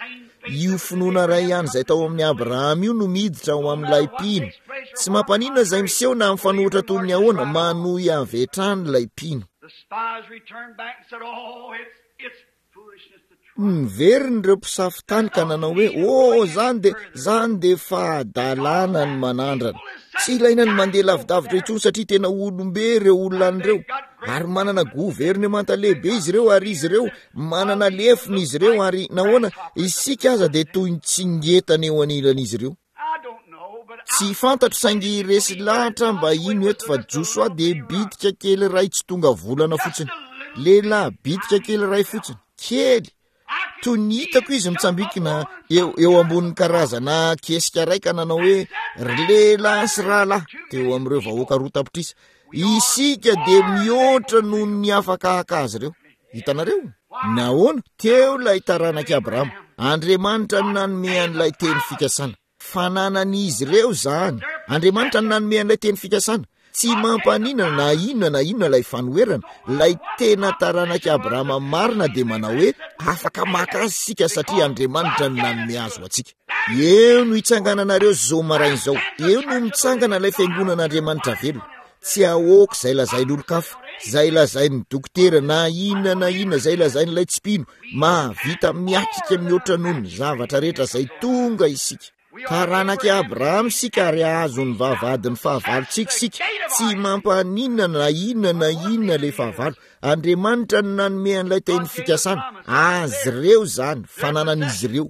Io finoana iray ihany izay tao amin'i Abrahama io no miditra ao amin'ilay mpino. Tsy mampaninona izay miseho na mifanohitra toy ny ahoana, manohy avy hatrany ilay mpino. Niverina ireo mpisafo tany ka nanao hoe, Oh, zany dia, zany dia fahadalana ny manandrana. Tsy ilaina ny mandeha lavidavitra intsony satria tena olombe ireo olona an'ireo. Ary manana governemanta lehibe izy ireo, ary izy ireo manana lefona izy ireo, ary nahoana isika aza dia toy ny tsingetana eo anilan'izy ireo. Tsy fantatro saingy resy lahatra mba hino eto fa Josoa dia bitika kely iray tsy tonga volana fotsiny. Lehilahy bitika kely iray fotsiny, kely. Toy ny hitako izy mitsambikina eo, eo ambonin'ny karazana kesika iray ka nanao hoe ry lehilahy sy rahalahy teo amin'ireo vahoaka roa tapitrisa. Isika dia mihoatra noho ny afaka haka azy ireo. Hitanareo? Nahoana? Teo ilay taranak'i Abrahama. Andriamanitra no nanome an'ilay teny fikasana. Fananan'izy ireo izany. Andriamanitra no nanome an'ilay teny fikasana. Tsy mampaninona na inona na inona ilay fanoherana. Ilay tena taranak'i Abrahama marina dia manao hoe afaka maka azy isika satria Andriamanitra no nanome azy ho antsika. Eo no hitsangananareo izao maraina izao. Eo no mitsangana ilay fiangonan'Andriamanitra velona. Tsy ahoako izay lazain'olon-kafa, izay lazain'ny dokotera na inona na inona, izay lazain'ilay tsy mpino. Mahavita miatrika mihoatra noho ny zavatra rehetra izay tonga isika. Taranak'i Abrahama isika ary hahazo ny vavahadin'ny fahavalontsika isika. Tsy mampaninona na inona na inona ilay fahavalo. Andriamanitra no nanome an'ilay teny fikasana. Azy ireo izany, fananan'izy ireo.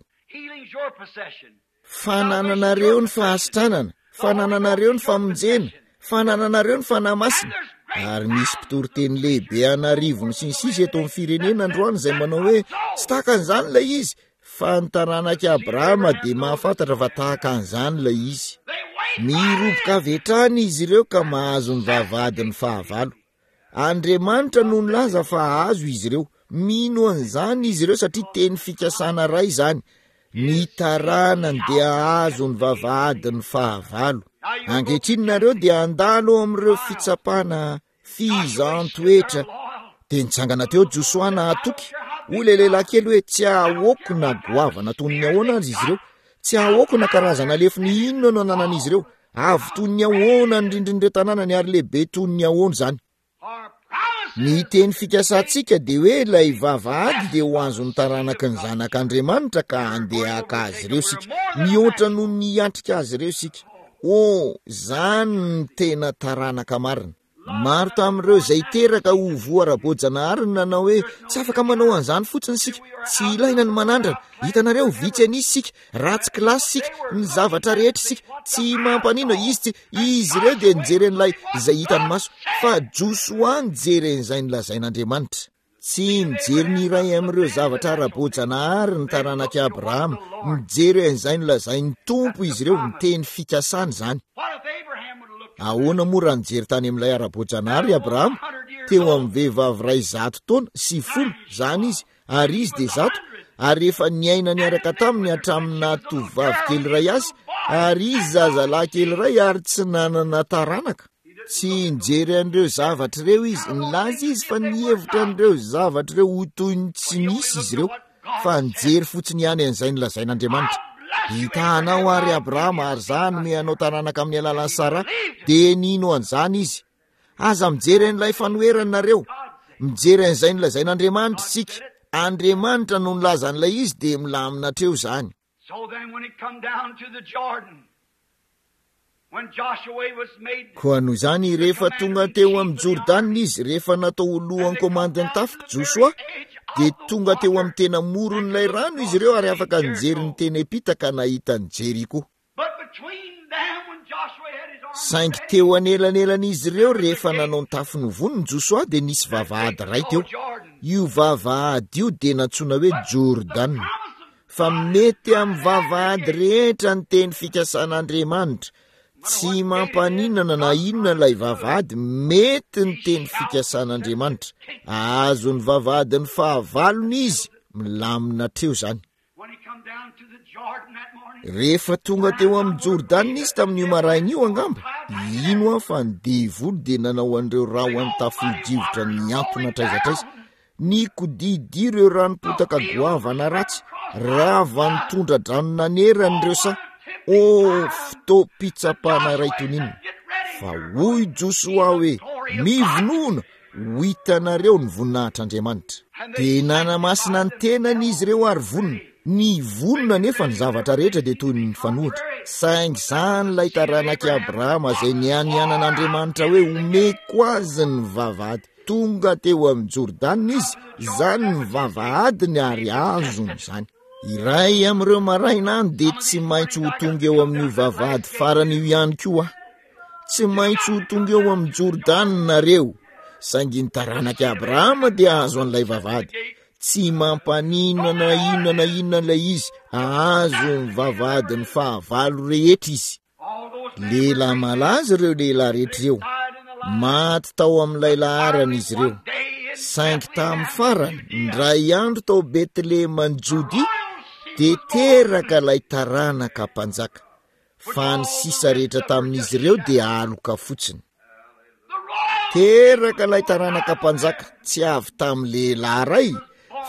Fanananareo ny fahasitranana, fanananareo ny famonjena, fanananareo ny fanahy masina. Ary misy mpitoriteny lehibe an'arivony sy ny sisa eto amin'ny firenena androany izay manao hoe tsy tahaka an'izany ilay izy, fa ny taranak'i Abrahama dia mahafantatra fa tahaka an'izany ilay izy. Miroboka avy hatrany izy ireo ka mahazo ny vavahadin'ny fahavalo. Andriamanitra no nilaza fa hahazo izy ireo. Mino an'izany izy ireo satria teny fikasana iray izany. Ny taranany dia hahazo ny vavahadin'ny fahavalo. Ankehitriny nareo dia handalo amin'ireo fitsapana fizaham-toetra. Dia nitsangana teo Josoa nahatoky. Hoy ilay lehilahy kely hoe tsy ahoako na goavana toy ny ahoana aza izy ireo. Tsy ahoako na karazana lefona inona no ananan'izy ireo. Avo toy ny ahoana ny rindrin'ireo tanànany ary lehibe toy ny ahoana izany. Ny teny fikasantsika dia hoe ilay vavahady dia ho azon'ny taranaky ny zanak'Andriamanitra ka handeha haka azy ireo isika. Mihoatra noho ny hiatrika azy ireo isika. Oh, izany ny tena taranaka marina. Maro tamin'ireo izay teraka ho voa ara-boajanahary no nanao hoe tsy afaka manao an'izany fotsiny isika. Tsy ilaina ny manandrana. Hitanareo, vitsy an'isa isika, ratsy kilasy isika, ny zavatra rehetra isika. Tsy mampaninona izy tsy izy ireo dia nijery an'ilay izay hitany maso, fa Josoa nijery an'izay nolazain'Andriamanitra. Tsy nijery ny iray amin'ireo zavatra ara-boajanahary ny taranak'i Abrahama. Nijery an'izay nolazain'ny Tompo izy ireo, ny teny fikasana izany. Ahoana moa raha nijery tany amin'ilay ara-boajanahary i Abrahama? Teo amin'ny vehivavy iray zato taona sy folo izany izy, ary izy dia zato, ary efa niaina niaraka taminy hatramin'ny nahatovovavy kely iray azy, ary izy zazalahy kely iray ary tsy nanana taranaka. Tsy nijery an'ireo zavatra ireo izy. Nilaza izy fa nihevitra an'ireo zavatra ireo ho toy ny tsy nisy izy ireo, fa nijery fotsiny ihany an'izay nolazain'Andriamanitra. Hitahanao ary Abrahama, ary izaho hanome anao taranaka amin'ny alalan'i Sara. Dia nino an'izany izy. Aza mijery an'ilay fanoherana nareo. Mijery an'izay nolazain'Andriamanitra isika. Andriamanitra no nilaza an'ilay izy dia milamina hatreo izany. So then when it come down to the Jordan, when Joshua was made Koa noho izany rehefa tonga teo amin'ny Jordana izy, rehefa natao ho lohan'ny komandin'ny tafika Josoa, dia tonga teo amin'ny tena moron'ilay rano izy ireo ary afaka nijery ny teny am-pita ka nahita ny Jeriko. But between them, when Joshua had his army Saingy teo anelanelan'izy ireo rehefa nanao ny tafiny vonona Josoa dia nisy vavahady iray teo. Io vavahady io dia nantsoina hoe Jordana. Fa mety amin'ny vavahady rehetra ny teny fikasan'Andriamanitra. Tsy mampaninona na inona ilay vavahady, mety ny teny fikasan'Andriamanitra. Ahazo ny vavahadin'ny fahavalony izy, milamina hatreo izany. When he come down to the Jordan that morning, Rehefa tonga teo amin'ny Jordana izy tamin'io maraina io angamba, ino aho fa ny devoly dia nanao an'ireo rahona tafio-drivotra niantona hatraiza hatraiza. Nikodidy ireo ranom-potaka goavana ratsy, rava nitondra-drano nanerana ireo saha. Oh, fotoam-pitsapana iray toy ny inona. Fa hoy Josoa hoe, mivonona, ho hitanareo ny voninahitr'Andriamanitra. Dia nanamasina ny tenany izy ireo ary vonona. Ny vonona nefa ny zavatra rehetra dia toy ny mifanohitra. Saingy izany ilay taranak'i Abrahama izay nianianan'Andriamanitra hoe omeko azy ny vavahady. Tonga teo amin'ny Jordana izy, izany ny vavahadiny ary azony izany. Iray amin'ireo maraina any dia tsy maintsy ho tonga eo amin'io vavahady farany io ihany koa. Tsy maintsy ho tonga eo amin'ny Jordana nareo. Saingy ny taranak'i Abrahama dia azo an'ilay vavahady. Tsy mampaninona na inona na inona ilay izy, ahazo ny vavahadin'ny fahavalo rehetra izy. Lehilahy malaza ireo lehilahy rehetra ireo. Maty tao amin'ilay laharana izy ireo. Saingy tamin'ny farany, indray andro tao Betleheman'i Jodia, dia teraka ilay taranaka mpanjaka. Fa ny sisa rehetra tamin'izy ireo dia aloka fotsiny. Teraka ilay taranaka mpanjaka, tsy avy tamin'ny lehilahy iray,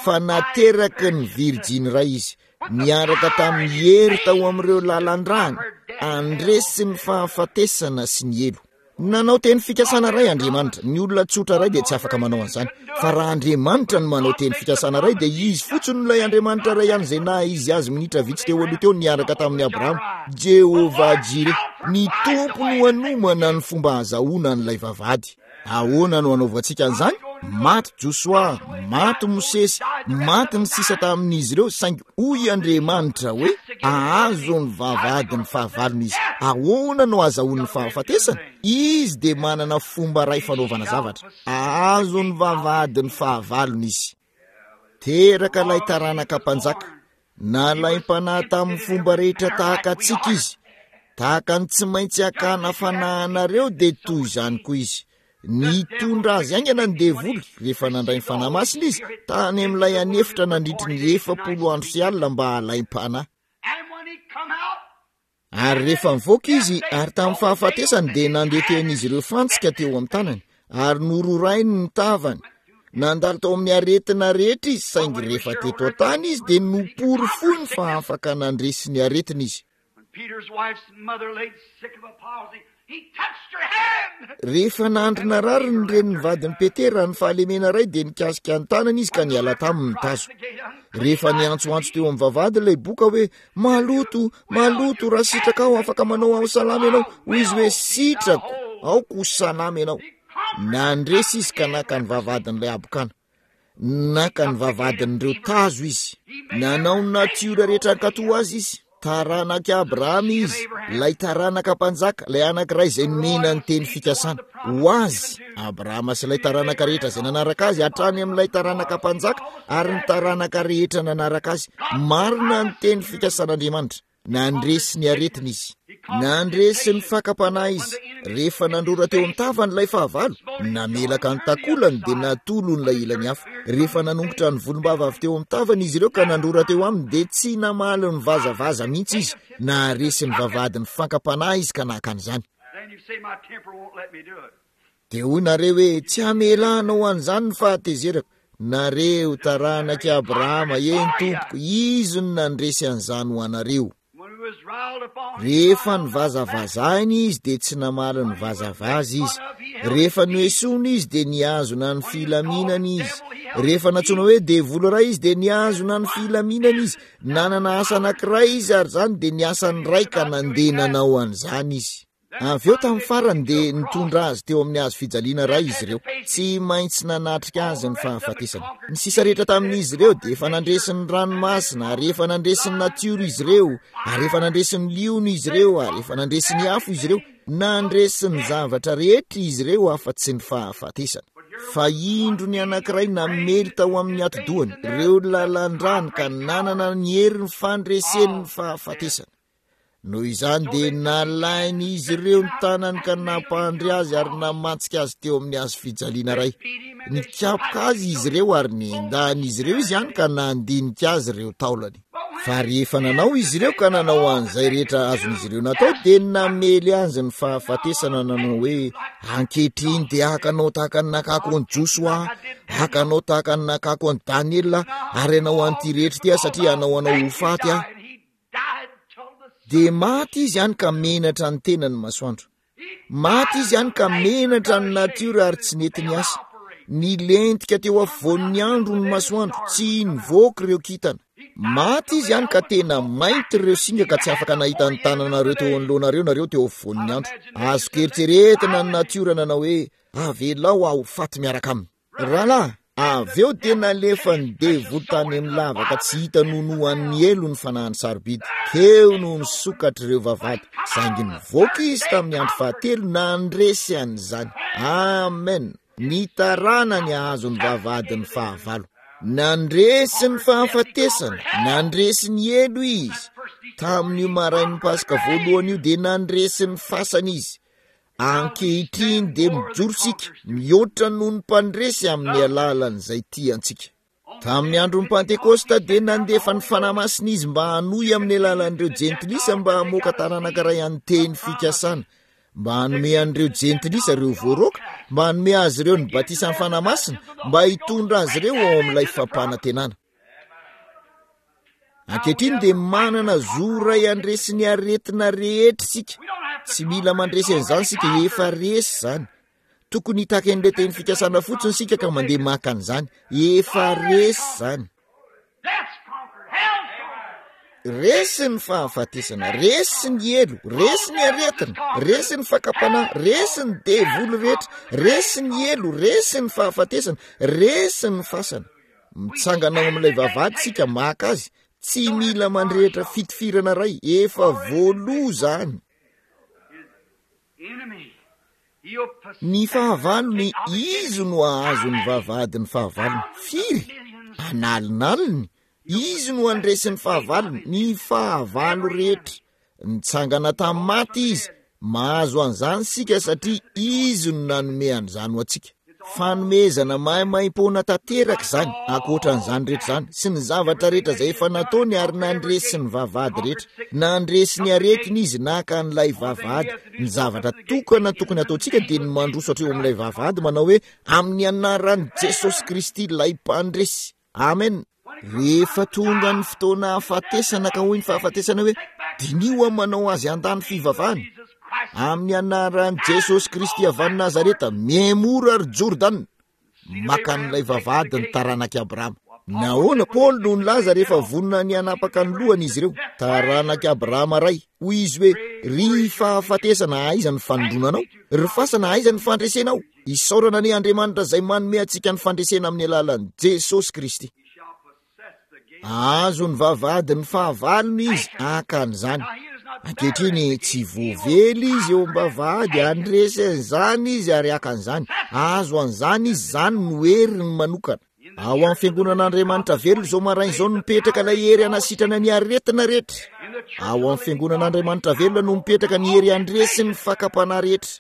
fa nateraky ny virjiny iray izy, niaraka tamin'ny hery tao amin'ireo lalan-drany, handresy ny fahafatesana sy ny helo. Nanao teny fikasana iray Andriamanitra. Ny olona tsotra iray dia tsy afaka manao an'izany. Fa raha Andriamanitra no manao teny fikasana iray, dia izy fotsiny ilay Andriamanitra iray ihany izay naha izy azy minitra vitsy teo aloha teo niaraka tamin'i Abrahama. Jehovah Jireh, ny Tompo no hanomana ny fomba ahazahoana an'ilay vavahady. Ahoana no hanaovantsika an'izany? Maty Josoa, maty Mosesy, maty ny sisa tamin'izy ireo, saingy hoy Andriamanitra hoe ahazo ny vavahadin'ny fahavalony izy. Ahoana no ahazahoan'ny fahafatesana? Izy dia manana fomba iray fanaovana zavatra. Ahazo ny vavahadin'ny fahavalony izy. Teraka ilay taranaka mpanjaka. Nalaim-panahy tamin'ny fomba rehetra tahaka antsika izy. Tahaka ny tsy maintsy hakana fanahinareo dia toy izany koa izy. Nitondra azy haingana ny devoly rehefa nandray ny Fanahy Masina izy tany amin'ilay anefitra nandritry ny efapolo andro sy alina mba halaim-panahy. Ary rehefa nivoaka izy, ary tamin'ny fahafatesany dia nandeha ireo fantsika teo amin'ny tanany, ary nororainy ny tavany. Nandalo tao amin'ny aretina rehetra izy, saingy rehefa teto an-tany izy dia noporofoiny fa afaka nandresy ny aretina izy. When Peter's wife's mother laid sick of a palsy, he touched her hand. Rehefa nandry narary ny renin'ny vadin'i Petera ny fahalemena iray dia nikasika ny tanany izy ka niala taminy ny tazo. Rehefa niantsoantso teo amin'ny vavahady ilay boka hoe maloto, maloto, raha sitraka aho afaka manao aho salama ianao, hoy izy hoe sitrako, aoka ho salama ianao. Nandresy izy ka naka ny vavahadin'ilay habokana. Naka ny vavahadin'ireo tazo izy. Nanao ny natiora rehetra hankatò azy izy. Taranak'i Abrahama izy, ilay taranaka mpanjaka, ilay anankiray izay nomena ny teny fikasana. Ho azy, Abrahama sy ilay taranaka rehetra izay nanaraka azy hatrany amin'ilay taranaka mpanjaka ary ny taranaka rehetra nanaraka azy. Marina ny teny fikasan'Andriamanitra. Nandresy ny aretina izy. Nandresy ny fakam-panahy izy. Rehefa nandrora teo amin'ny tavany ilay fahavalo, namelaka ny takolany dia natolony ilay ilany hafa. Rehefa nanongotra ny volombava avy teo amin'ny tavany izy ireo ka nandrora teo aminy dia tsy namaly ny vazavaza mihitsy izy. Naharesy ny vavahadin'ny fakam-panahy izy ka naka an'izany. Then you say, my temper won't let me do it. Dia hoy nareo hoe tsy hamelanao an'izany ny fahatezerako. Nareo taranak'i Abrahama, eny tompoko, izy no nandresy an'izany ho anareo. When he was riled upon, Rehefa nivazavazahina izy dia tsy namaly ny vazavaza izy. Rehefa noesoina izy dia nihazona ny filaminana izy. Rehefa nantsoina hoe devoly iray izy dia nihazona ny filaminana izy. Nanana asa anankiray izy ary izany dia ny asany iray ka nandeha nanao an'izany izy. Avy eo tamin'ny farany dia nitondra azy teo amin'ny hazo fijaliana iray izy ireo. Tsy maintsy nanatrika azy ny fahafatesana. Ny sisa rehetra tamin'izy ireo dia efa nandresy ny ranomasina, ary efa nandresy ny natiora izy ireo, ary efa nandresy ny liona izy ireo, ary efa nandresy ny afo izy ireo. Nandresy ny zavatra rehetra izy ireo afa-tsy ny fahafatesana. Fa indro ny anankiray namely tao amin'ny atidohany ireo lalan-drany ka nanana ny herin'ny fandreseny ny fahafatesana. Noho izany dia nalain'izy ireo ny tanany ka nampandry azy ary namantsika azy teo amin'ny hazo fijaliana iray. Nikapoka azy izy ireo ary nendahan'izy ireo izy ihany ka nandinika azy ireo taolany. Fa rehefa nanao izy ireo ka nanao an'izay rehetra azon'izy ireo natao dia namely azy ny fahafatesana nanao hoe ankehitriny dia hakanao tahaka ny nakako an'i Josoa, hakanao tahaka ny nakako an'i Daniela ary hanao an'ity rehetra ity aho satria hanao anao ho faty aho. Dia maty izy ihany ka menatra ny tenany masoandro. Maty izy ihany ka menatra ny natiora ary tsy nety ny asa. Nilentika teo afovoan'ny andro ny masoandro, tsy nivoaka ireo kintana. Maty izy ihany ka tena mainty ireo singa ka tsy afaka nahita ny tananareo teo anoloanareo nareo teo afovoan'ny andro. Azoko eritreretina ny natiora nanao hoe avelao aho ho faty miaraka aminy. Rahalahy, Avy eo dia nalefa ny devoly tany amin'ny lavaka tsy hita nonoan'ny helo ny fanahiny sarobidy. Teo no nisokatra ireo vavahady, saingy nivoaka izy tamin'ny andro fahatelo nandresy an'izany. Amen. Ny taranany hahazo ny vavahadin'ny fahavalo. Nandresy ny fahafatesana, nandresy ny helo izy. Tamin'io marain'ny Paska voalohany io dia nandresy ny fasana izy. Ankehitriny dia mijoro isika, mihoatra noho ny mpandresy amin'ny alalan'izay tiantsika. Tamin'ny andron'ny Pantekosta dia nandefa ny Fanahy Masina izy mba hanohy amin'ny alalan'ireo jentilisa mba hamoaka taranaka iray an'ny teny fikasana, mba hanome an'ireo jentilisa ireo voaroaka, mba hanome azy ireo ny batisan'ny Fanahy Masina, mba hitondra azy ireo ao amin'ilay fampanantenana. Ankehitriny dia manana zo iray handresy ny aretina rehetra isika. Tsy mila mandresy an'izany isika, efa resy izany. Tokony hitaky an'ilay teny fikasana fotsiny isika ka mandeha maka an'izany. Efa resy izany. Resy ny fahafatesana, resy ny helo, resy ny aretina, resy ny fakam-panahy, resy ny devoly rehetra, resy ny helo, resy ny fahafatesana, resy ny fasana. Mitsangana ao amin'ilay vavahady isika maka azy. Tsy mila mandrehitra fitifirana iray, efa voaloa izany. Ny fahavalony, izy no hahazo ny vavahadin'ny fahavalony. Firy? Analinaliny. Izy no handresy ny fahavalony, ny fahavalo rehetra. Nitsangana tamin'ny maty izy. Mahazo an'izany isika satria izy no nanome an'izany ho antsika. Fanomezana maimaimpoana tanteraka izany, ankoatran'izany rehetra izany, sy ny zavatra rehetra izay efa nataony ary nandresy ny vavahady rehetra. Nandresy ny aretina izy, naka an'ilay vavahady. Ny zavatra tokana tokony ataontsika dia ny mandroso hatreo amin'ilay vavahady manao hoe amin'ny anaran'i Jesosy Kristy ilay mpandresy. Amen. Rehefa tonga ny fotoana hahafatesana ka hoy ny fahafatesana hoe diniho aho manao azy handany fivavahana. Amin'ny anaran'i Jesosy Kristy avy any Nazareta, miemora ry Jordana. Maka an'ilay vavahady ny taranak'i Abrahama. Nahoana Paoly no nilaza rehefa vonona ny hanapaka ny lohany izy ireo? Taranak'i Abrahama ray. Hoy izy hoe, ry fahafatesana, aiza ny fanindronanao? Ry fasana, aiza ny fandresenao? Isaorana anie Andriamanitra izay manome antsika ny fandresena amin'ny alalan'i Jesosy Kristy. Ahazo ny vavahadin'ny fahavalony izy haka an'izany. Ankehitriny tsy voavely izy eo am-bavahady, handresy an'izany izy ary haka an'izany. Ahazo an'izany izy, izany no heriny manokana. Ao amin'ny fiangonan'Andriamanitra velona izao maraina izao no mipetraka ilay hery hanasitrana ny aretina rehetra. Ao amin'ny fiangonan'Andriamanitra velona no mipetraka ny hery handresy ny fakam-panahy rehetra.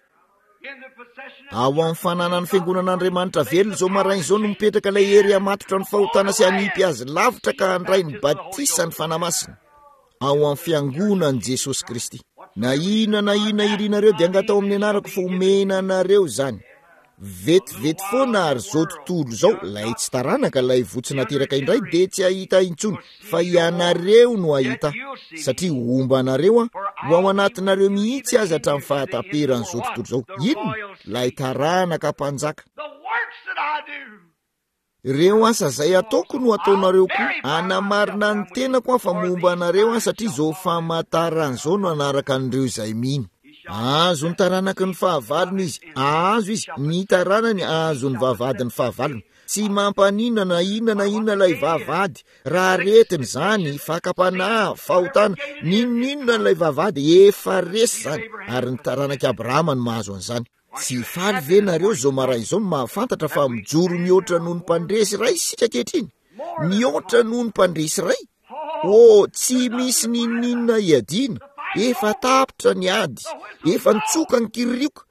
Ao amin'ny fananan'ny fiangonan'Andriamanitra velona izao maraina izao no mipetraka ilay hery hamatotra ny fahotana sy hanipy azy lavitra ka handray ny batisa ny Fanahy Masina. Ao amin'ny fiangonan'i Jesosy Kristy. Na inona na inona irinareo dia angatao amin'ny anarako fa omena anareo izany. Vetivety foana ary izao tontolo izao, ilay tsy taranaka, ilay voa tsy nateraka indray dia tsy hahita intsony, fa ianareo no hahita, satria homba anareo aho, ho ao anatinareo mihitsy aza hatramin'ny fahataperan'izao tontolo izao. Inona? Ilay taranaka mpanjaka. Ireo asa izay ataoko no ataonareo koa. Hanamarina ny tenako aho fa momba anareo aho, satria izao famantarana izao no hanaraka an'ireo izay mino. Hahazo ny taranaky ny fahavalony izy, hahazo izy, ny taranany hahazo ny vavahadin'ny fahavalony. Tsy mampaninona na inona na inona ilay vavahady, raha aretina izany, fakam-panahy, fahotana, n'inon'inona ilay vavahady, efa resy izany, ary ny taranak'i Abrahama no mahazo an'izany. Tsy faly ve nareo izao maraina izao no mahafantatra fa mijoro mihoatra noho ny mpandresy iray isika ankehitriny? Mihoatra noho ny mpandresy iray? Oh, tsy misy n'inon'inona hiadiana. Efa tapitra ny ady, efa nitsoka ny kiririoka,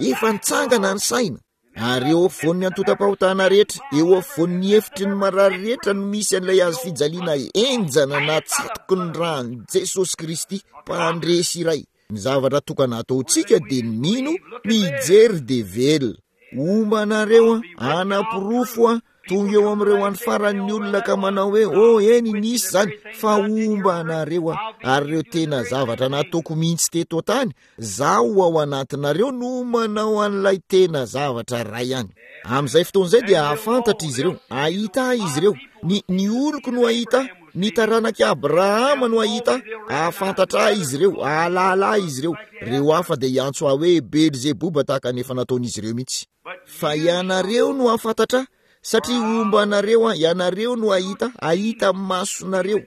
efa nitsangana ny saina. Ary eo afovoan'ny antontam-pahotana rehetra, eo afovoan'ny efitry ny marary rehetra no misy an'ilay hazo fijaliana henjana natsatoky ny ràn'i Jesosy Kristy, mpandresy iray. Ny zavatra tokana ataontsika dia ny mino, mijery dia velona. Homba anareo aho, hanaporofo aho, tonga eo amin'ireo andro faran'ny olona ka manao hoe, oh, eny, nisy izany, fa homba anareo aho. Ary ireo tena zavatra nataoko mihitsy teto an-tany, zaho ao anatinareo no manao an'ilay tena zavatra iray ihany. Amin'izay fotoana izay dia hahafantatra izy ireo, hahita ahy izy ireo, ny, ny oloko no hahita ahy, ny taranak'i Abrahama no hahita ahy, hahafantatra ahy izy ireo, hahalala ahy izy ireo. Ireo hafa dia hiantso ahy hoe Belzeboba tahaka ny efa nataon'izy ireo mihitsy. Fa ianareo no hahafantatra ahy, Satria homba anareo aho, ianareo no hahita, hahita amin'ny masonareo.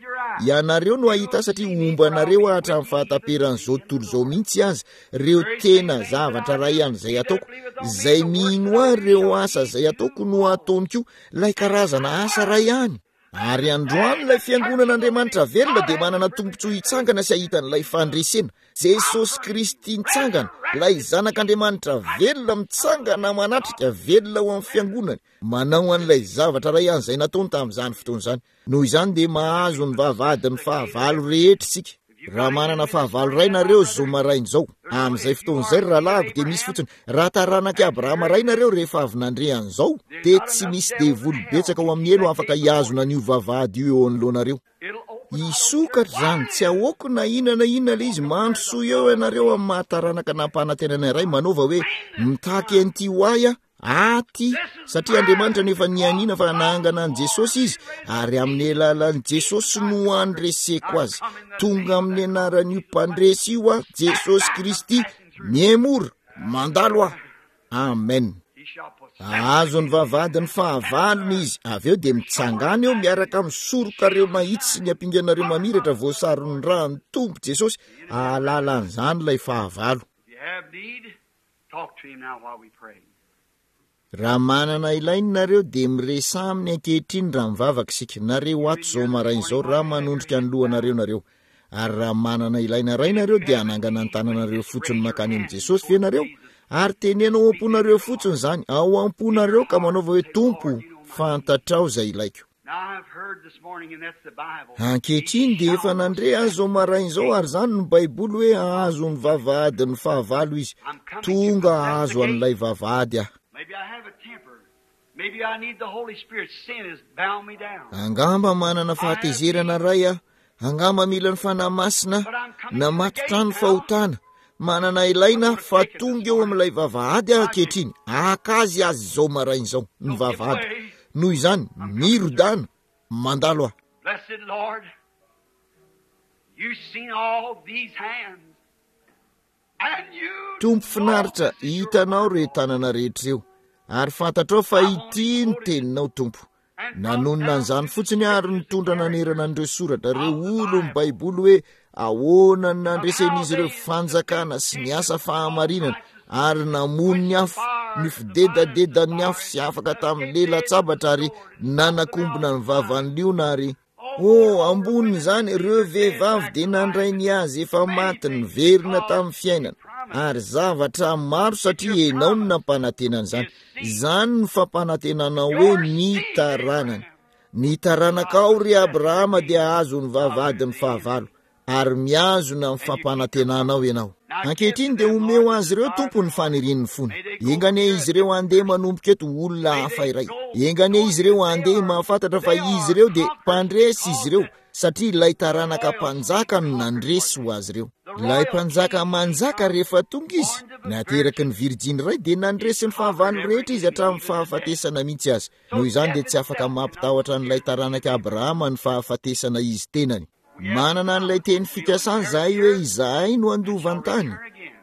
Ianareo no hahita satria homba anareo aho hatramin'ny fahataperan'izao tontolo izao mihitsy aza. Ireo tena zavatra iray ihany izay ataoko, izay mino ahy ireo asa izay ataoko no ataony koa, ilay karazana asa iray ihany. Ary androany ilay fiangonan'Andriamanitra velona dia manana tombontsoa hitsangana sy hahita an'ilay fandresena. Jesosy Kristy nitsangana, ilay zanak'Andriamanitra velona mitsangana manatrika velona ao amin'ny fiangonany, manao an'ilay zavatra iray ihany izay nataony tamin'izany fotoana izany. Noho izany dia mahazo ny vavahadin'ny fahavalo rehetra isika. Raha manana fahavalo iray nareo zao maraina izao, amin'izay fotoana izay ry rahalahiko dia misy fotsiny. Raha taranak'i Abrahama iray nareo rehefa avy nandre an'izao, dia tsy misy devoly betsaka ao amin'ny helo afaka hihazona an'io vavahady io eo anoloanareo. Hisokatra izany, tsy ahoako na inona na inona ilay izy. Mandrosoa eo ianareo amin'ny mahataranaka nampanantenana iray, manaova hoe mitaky an'ity ho ahy aho aty, satria Andriamanitra no efa nianiana fa nahangana an'i Jesosy izy, ary amin'ny alalan'i Jesosy no andreseko azy. Tonga amin'ny anaran'io mpandresy io aho, Jesosy Kristy, miemora, mandalo aho. Amen. Ahazo ny vavahadin'ny fahavalony izy, avy eo dia mitsangana eo miaraka amin'ny sorokareo mahitsy sy ny ampinganareo mamiratra voasaron'ny ràn'ny Tompo Jesosy. Ahalala an'izany ilay fahavalo. Talk to him now while we pray. Raha manana ilaina nareo dia miresaha aminy ankehitriny raha mivavaka isika. Nareo ato izao maraina izao raha manondrika ny lohanareo nareo. Ary raha manana ilaina iray nareo dia hanangana ny tananareo fotsiny mankany amin'i Jesosy ve nareo? Ary teneno ao am-ponareo fotsiny izany, ao am-ponareo, ka manaova hoe Tompo, fantatrao izay ilaiko. Now I've heard this morning, and that's the Bible. Ankehitriny dia efa nandre azy izao maraina izao, ary izany no Baiboly hoe hahazo ny vavahadin'ny fahavalo izy. Tonga hahazo an'ilay vavahady aho. Maybe I have a temper. Maybe I need the Holy Spirit. Sin has bound me down. Angamba manana fahatezerana iray aho. Angamba mila ny Fanahy Masina namatotra ny fahotana. Manana ilaina fa tonga eo amin'ilay vavahady aho ankehitriny. Haka azy azy izao maraina izao, ny vavahady. Noho izany, mirodana, mandalo aho. Blessed Lord, you've seen all these hands, and you Tompo finaritra, hitanao ireo tanana rehetra ireo, ary fantatrao fa ity ny teninao, Tompo. Nanonona an'izany fotsiny ary nitondra nanerana an'ireo soratra, ireo olon'ny Baiboly hoe ahoana ny nandresen'izy ireo fanjakana sy ny asa fahamarinana, ary namono ny afo, ny fidedadedan'ny afo sy afaka tamin'ny lela-tsabatra ary nanakombona ny vavan'ny liona ary oh, ambonin'izany ireo vehivavy dia nandray ny azy efa maty niverina tamin'ny fiainana, ary zavatra maro satria ianao no nampanantenana izany. Izany no fampanantenanao hoe ny taranany. Ny taranakao ry Abrahama dia hahazo ny vavahadin'ny fahavalo, ary mihazona ny fampanantenanao ianao. Ankehitriny dia omeo azy ireo Tompo ny fanirian'ny fony. Enga anie izy ireo handeha manomboka eto olona hafa iray. Enga anie izy ireo handeha mahafantatra fa izy ireo dia mpandresy izy ireo, satria ilay taranaka mpanjaka no nandresy ho azy ireo. Ilay mpanjaka manjaka rehefa tonga izy, nateraky ny virjiny iray, dia nandresy ny fahavalo rehetra izy hatramin'ny fahafatesana mihitsy aza. Noho izany dia tsy afaka mampitahotra an'ilay taranaka Abrahama ny fahafatesana izy tenany. Manana an'ilay teny fikasana izahay hoe izahay no handova ny tany,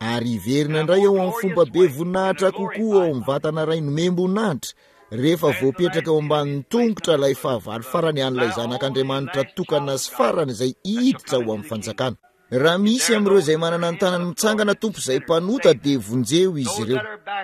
ary hiverina indray ao amin'ny fomba be voninahitra kokoa ao amin'ny vatana iray nomem-boninahitra, rehefa voapetraka eo ambanin'ny tongotra ilay fahavalo farany an'ilay zanak'Andriamanitra tokana sy farany izay hiditra ao amin'ny fanjakana. Raha misy amin'ireo izay manana ny tanany mitsangana, Tompo, izay mpanota, dia vonjeo izy ireo.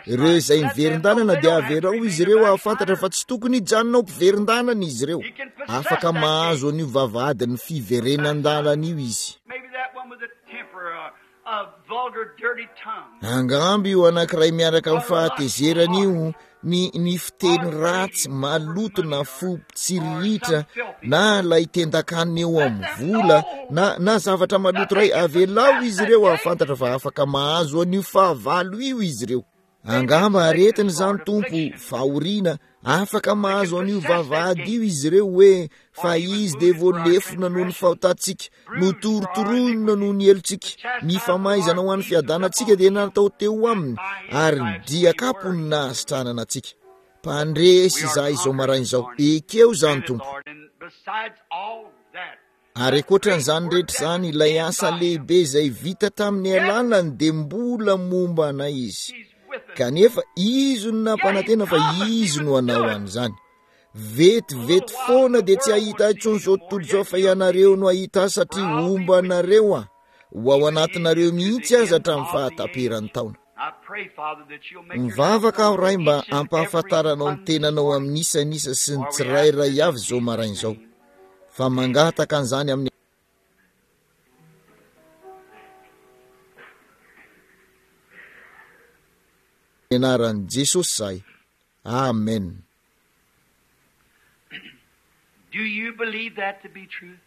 Ireo izay miverin-dalana dia averao izy ireo hahafantatra fa tsy tokony hijanona ho mpiverin-dalana izy ireo. Afaka mahazo an'io vavahadin'ny fiverenan-dalana io izy. Maybe that one with a temper, a, a vulgar, dirty tongue. Angamba io anankiray miaraka amin'ny fahatezerana io, ny, ny fiteny ratsy, maloto na fo tsiriritra, na ilay tendakanina eo amin'ny vola, na, na zavatra maloto iray, avelao izy ireo hahafantatra fa afaka mahazo an'io fahavalo io izy ireo. Angamba aretina izany, Tompo, fahoriana, afaka mahazo an'io vavahady io izy ireo hoe fa izy dia voalefona noho ny fahotantsika, notorotoroina noho ny helotsika, ny famaizana ho an'ny fiadanantsika dia natao teo aminy, ary ny diakapo no nahasitranana antsika. Mpandresy izahay izao maraina izao, ekeo izany, Tompo. Ary ankoatran'izany rehetra izany, ilay asa lehibe izay vita tamin'ny alalany dia mbola momba anay izy. Kanefa izy no nampanantena fa izy no hanao an'izany. Vetivety foana dia tsy hahita intsony izao tontolo izao, fa ianareo no hahita ahy satria homba anareo aho. Ho ao anatinareo mihitsy aza hatramin'ny fahataperan'ny taona. Mivavaka aho, Ray, mba hampahafantaranao ny tenanao amin'ny isan'isa sy ny tsirairay avy izao maraina izao. Fa mangataka an'izany amin'ny anaran'i Jesosy zahay. Amen. Do you believe that to be true?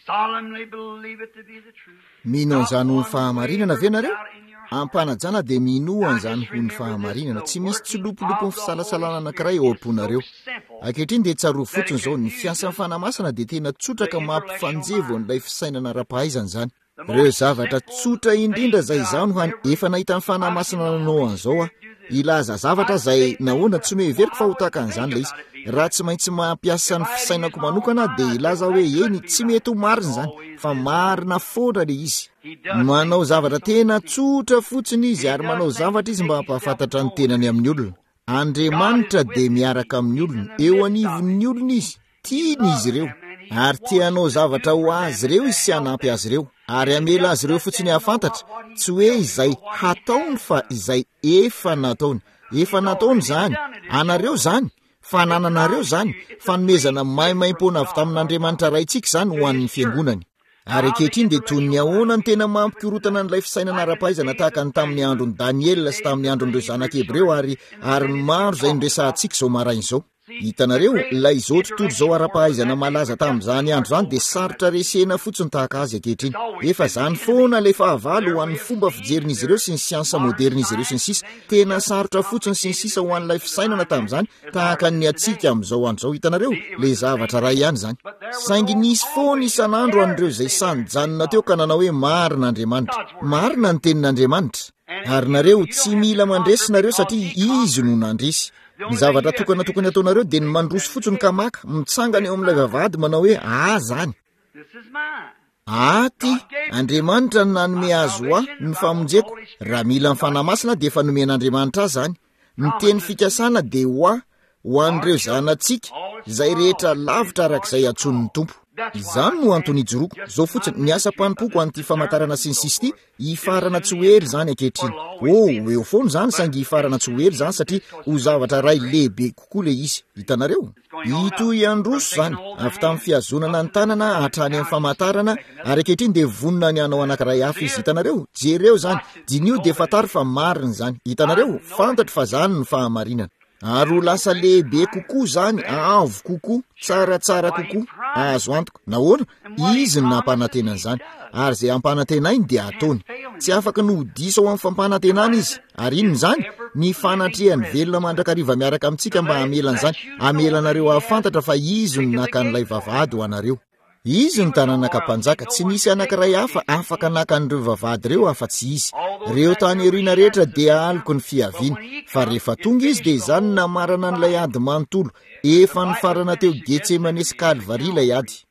Solemnly believe it to be the truth. Mino an'izany ho ny fahamarinana ve nareo? Ampanajana dia minoa an'izany ho ny fahamarinana. Tsy misy tsilopolopony fisalasalana anankiray ao am-ponareo. Ankehitriny dia tsarovy fotsiny izao, ny fiasan'ny Fanahy Masina dia tena tsotra ka mampifanjevo an'ilay fisainana ara-pahaizana izany. Ireo zavatra tsotra indrindra izay izaho no hany efa nahita ny Fanahy Masina nanao an'izao aho. Hilaza zavatra izay nahoana tsy noheveriko fa ho tahaka an'izany ilay izy. Raha tsy maintsy mampiasa ny fisainako manokana dia hilaza hoe eny, tsy mety ho marina izany, fa marina foana ilay izy. Manao zavatra tena tsotra fotsiny izy ary manao zavatra izy mba hampahafantatra ny tenany amin'ny olona. Andriamanitra dia miaraka amin'ny olona, eo anivon'ny olona izy, tiany izy ireo, ary te hanao zavatra ho azy ireo izy sy hanampy azy ireo, ary hamela azy ireo fotsiny hahafantatra, tsy hoe izay hataony fa izay efa nataony. Efa nataony izany, anareo izany, fanananareo izany, fanomezana maimaimpoana avy tamin'Andriamanitra Raintsika izany ho an'ny fiangonany. Ary ankehitriny dia toy ny ahoana ny tena mampikorotana an'ilay fisainana ara-pahaizana tahaka ny tamin'ny andron'i Daniela sy tamin'ny andron'ireo zanak'i Hebreo ary ary ny maro izay noresahantsika izao maraina izao. Hitanareo, ilay izao tontolo izao ara-pahaizana malaza tamin'izany andro izany dia sarotra resena fotsiny tahaka azy ankehitriny. Efa izany foana ilay fahavalo ho an'ny fomba fijerin'izy ireo sy ny siansa modern'izy ireo sy ny sisa. Tena sarotra fotsiny sy ny sisa ho an'ilay fisainana tamin'izany tahaka ny antsika amin'izao andro izao. Hitanareo, ilay zavatra iray ihany izany. Saingy nisy foana isan'andro an'ireo izay sahy nijanona teo ka nanao hoe marina Andriamanitra. Marina ny tenin'Andriamanitra. Ary nareo tsy mila mandresy nareo satria izy no nandresy. Ny zavatra tokana tokony ataonareo dia ny mandroso fotsiny ka maka, mitsangana eo amin'ilay vavahady manao hoe ah zany. Aty, Andriamanitra no nanome azy ho ahy ny famonjeko. Raha mila ny Fanahy Masina dia efa nomen'Andriamanitra ahy izany. Ny teny fikasana dia ho ahy, ho an'ireo zanatsika, izay rehetra lavitra arak'izay antsoin'ny Tompo. Izany no antony ijoroako. Izao fotsiny, ny asam-panompoko an'ity famantarana sy ny sisa ity, hifarana tsy ho ela izany ankehitriny. Oh, ho eo foana izany, saingy hifarana tsy ho ela izany satria ho zavatra iray lehibe kokoa ilay izy. Hitanareo? Hitohy handroso izany, avy tamin'ny fihazonana ny tanana hatrany amin'ny famantarana, ary ankehitriny dia vonona ny hanao anankiray hafa izy. Hitanareo? Jereo izany, diniho dia fantaro fa marina izany. Hitanareo? Fantatro fa izany no fahamarinana. Ary ho lasa lehibe kokoa izany, avo kokoa, tsaratsara kokoa, azo antoka. Nahoana? Izy no nampanantena an'izany, ary izay ampanantenainy dia ataony. Tsy afaka ny ho diso ao amin'ny fampanantenana izy. Ary inona izany? Ny fanatrehany velona mandrakariva miaraka amintsika mba hamela an'izany, hamela anareo hahafantatra fa izy no naka an'ilay vavahady ho anareo. Izy no taranaka mpanjaka, tsy nisy anankiray hafa afaka naka an'ireo vavahady ireo afa-tsy izy. Ireo tany aoriana rehetra dia aloky ny fiaviany, fa rehefa tonga izy dia izany no namarana an'ilay ady manontolo. Efa nifarana teo Getsemane sy Kalvary ilay ady.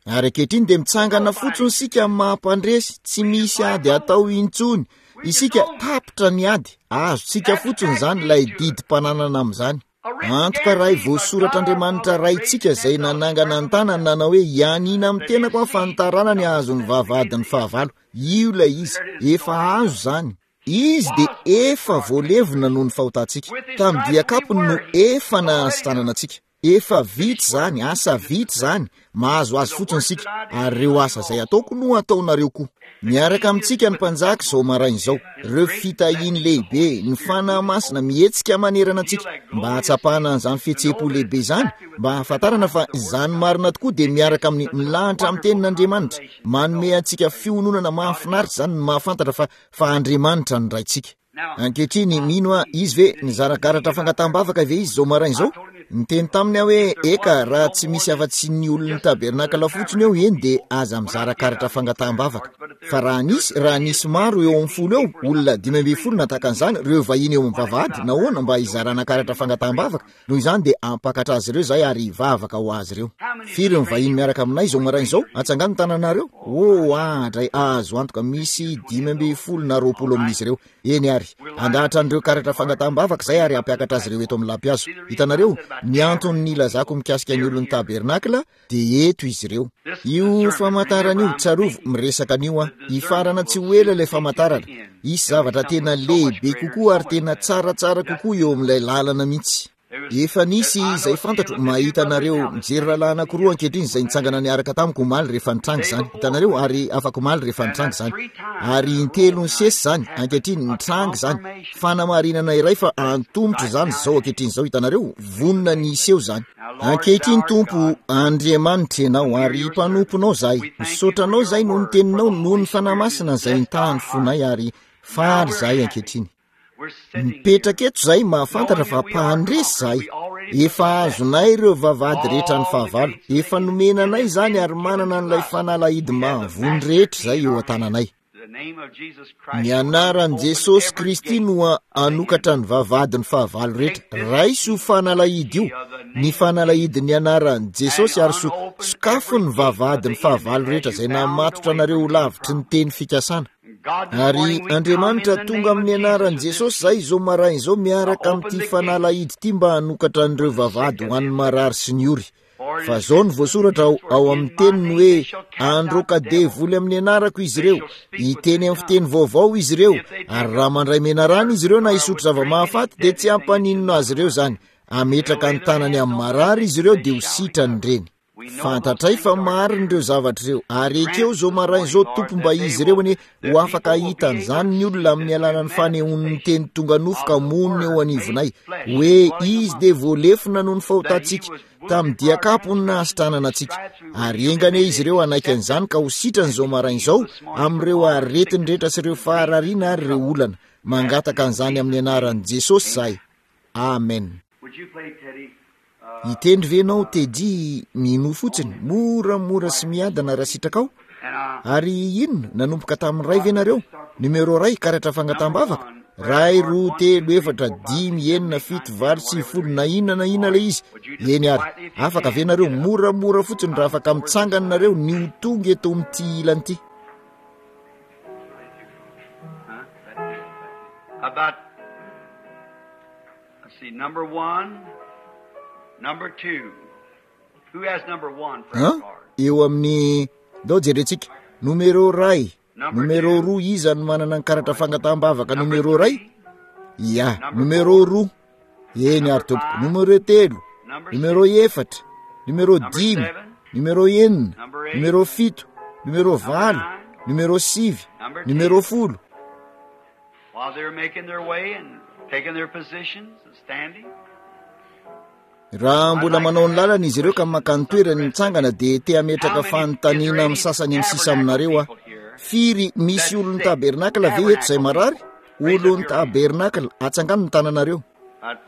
Ary ankehitriny dia mitsangana fotsiny isika amin'ny maha-mpandresy, tsy misy ady atao intsony. Isika tapitra ny ady, azontsika fotsiny izany ilay didim-pananana amin'izany. Antoka iray voasoratr'Andriamanitra Raintsika izay nanangana ny tanany nanao hoe hianiana amin'ny tenako aho fa ny taranany hahazo ny vavahadin'ny fahavalo. Io ilay izy. Efa azo izany. Izy dia efa voalevina noho ny fahotantsika. Tamin'ny dian-kapony no efa nahasitranana antsika. Efa vita izany, asa vita izany, mahazo azy fotsiny isika, ary ireo asa izay ataoko no ataonareo koa. Miaraka amintsika ny mpanjaka izao maraina izao, ireo fitahiany lehibe, ny Fanahy Masina mihetsika manerana antsika, mba hahatsapana an'izany fihetseham-po lehibe izany, mba hahafantarana fa izany marina tokoa dia miaraka amin'ny milahatra amin'ny tenin'Andriamanitra. Manome antsika fiononana mahafinaritra izany ny mahafantatra fa fa Andriamanitra no Raintsika. Ankehitriny, mino aho, izy ve, nizara karatra fangataham-bavaka ve izy izao maraina izao? Niteny taminy aho hoe eka, raha tsy misy afa-tsy ny olon'ny tabernakla fotsiny eo eny dia aza mizara karatra fangataham-bavaka. Fa raha nisy, raha nisy maro eo amin'ny folo eo, olona dimy ambin'ny folo nataka an'izany, ireo vahiny eo amin'ny vavahady, nahoana mba hizarana karatra fangataham-bavaka? Noho izany dia ampakatra azy ireo izay ary hivavaka ho azy ireo. Firy ny vahiny miaraka aminay izao maraina izao? Atsangano ny tananareo. Oh, andray, azo antoka misy dimy ambin'ny folo na roapolo amin'izy ireo. Eny ary, andahatra an'ireo karatra fangataham-bavaka izay ary hampiakatra azy ireo eto amin'ny lampihazo. Hitanareo, ny antony nilazako mikasika ny olon'ny tabernakla dia eto izy ireo. Io famantarana io, tsarovy, miresaka an'io aho. Hifarana tsy ho ela ilay famantarana. Hisy zavatra tena lehibe kokoa ary tena tsaratsara kokoa eo amin'ilay lalana mihitsy. Efa nisy izay fantatro, mahita anareo mijery rahalahy anankiroa ankehitriny izay nitsangana niaraka tamiko omaly rehefa nitranga izany. Hitanareo, ary afaka omaly rehefa nitranga izany. Ary intelo nisesy izany, ankehitriny nitranga izany. Fanamarinana iray fa antomotra izany izao ankehitriny izao, hitanareo, vonona ny hiseho izany. Ankehitriny Tompo, Andriamanitra ianao ary mpanomponao izahay. Misaotra anao izahay noho ny teninao, noho ny Fanahy Masina izay nitaha ny fonay ary faly izahay ankehitriny. Mipetraka eto izahay mahafantatra fa mpandresy izahay. Efa azonay ireo vavahady rehetra ny fahavalo. Efa nomena anay izany ary manana an'ilay fanalahidy mahavony rehetra izay eo an-tananay. Ny anaran'i Jesosy Kristy no hanokatra ny vavahadin'ny fahavalo rehetra. Raiso fanalahidy io, ny fanalahidin'ny anaran'i Jesosy, ary so sokafo ny vavahadin'ny fahavalo rehetra izay namatotra anareo ho lavitry ny teny fikasana. Ary Andriamanitra tonga amin'ny anaran'i Jesosy izay izao maraina izao miaraka amin'ity fanalahidy ity mba hanokatra an'ireo vavahady ho an'ny marary sy ny ory. Fa zao no voasoratra ao, ao amin'ny teniny hoe androaka devoly amin'ny anarako izy ireo, hiteny amin'ny fiteny vaovao izy ireo, ary raha mandray menarana izy ireo na hisotro zava-mahafaty dia tsy hampaninona azy ireo izany. Ametraka ny tanany amin'ny marary izy ireo dia ho sitrany ireny. Fantatray fa marina ireo zavatra ireo, ary ekeo izao maraina izao Tompo mba izy ireo anie ho afaka hahita an'izany ny olona amin'ny alalan'ny fanehoan'ny teny tonga nofo ka monina eo anivonay, hoe izy dia voalefona noho ny fahotantsika, tamin'ny diakapo no nahasitranana antsika. Ary enga anie izy ireo hanaiky an'izany ka ho sitrany izao maraina izao amin'ireo aretiny rehetra sy ireo faharariana ary ireo olana. Mangataka an'izany amin'ny anaran'i Jesosy izahay. Amen. Hitendry ve ianao Teddy mino fotsiny, moramora sy miadana raha sitrakao? Ary inona, nanomboka tamin'ny ray ve nareo? Numero ray, karatra fangataham-bavaka? Ray, roa, telo, efatra, dimy, enina, fito, valo, sivy, folo, na inona na inona ilay izy. Eny ary, afaka ve nareo moramora fotsiny raha afaka mitsangana nareo ny ho tonga eto amin'ity ilany ity? About, let's see, number one, number two. Who has number one for Hein? card? Eo amin'ny ndao jerentsika numero ray, numero roa, iza no manana ny karatra fangataham-bavaka numero ray? Ia, numero roa. Eny ary tompoko. Numero telo, numero efatra, numero dimy, numero enina, numero fito, numero valo, numero sivy, numero folo. While they're making their way and taking their positions and standing. Raha mbola manao ny lalana izy ireo ka maka ny toerany mitsangana dia te hametraka fanontaniana amin'ny sasany amin'ny sisa aminareo aho. Firy misy olon'ny tabernakla ve eto izay marary? Olon'ny tabernakla, atsangano ny tananareo.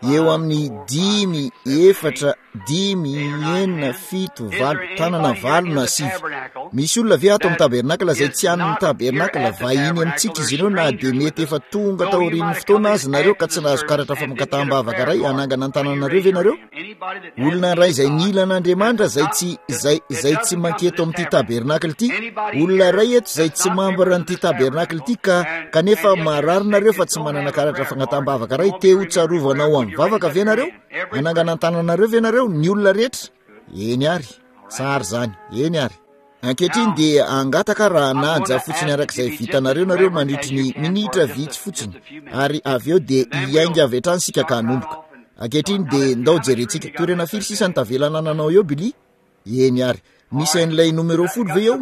Eo amin'ny dimy, efatra, dimy, enina, fito, valo, tanana valo na sivy. Misy olona ve ato amin'ny tabernakla izay tsy an'ny tabernakla? Vahiny amintsika izy ireo na dia mety efa tonga taorian'ny fotoana azy nareo ka tsy nahazo karatra famangataham-bavaka iray. Hanangana ny tananareo ve nareo? Olona iray izay nila an'Andriamanitra izay tsy, izay, izay tsy manketo amin'ity tabernakla ity, olona iray eto izay tsy mambra an'ity tabernakla ity ka, kanefa marary nareo fa tsy manana karatra fangataham-bavaka iray, te ho tsarovanao amin'ny vavaka ve nareo? Hanangana ny tananareo ve nareo? Ny olona rehetra? Eny ary, tsara izany, eny ary. Ankehitriny dia angataka raha hanaja fotsiny arak'izay vitanareo nareo mandritry ny minitra vitsy fotsiny, ary avy eo dia hiainga avy hatrany isika ka hanomboka. Ankehitriny dia ndao jerentsika. Toerana firy sisa ny tavela anananao eo, Billy? Eny ary. Misy an'ilay numero folo ve eo?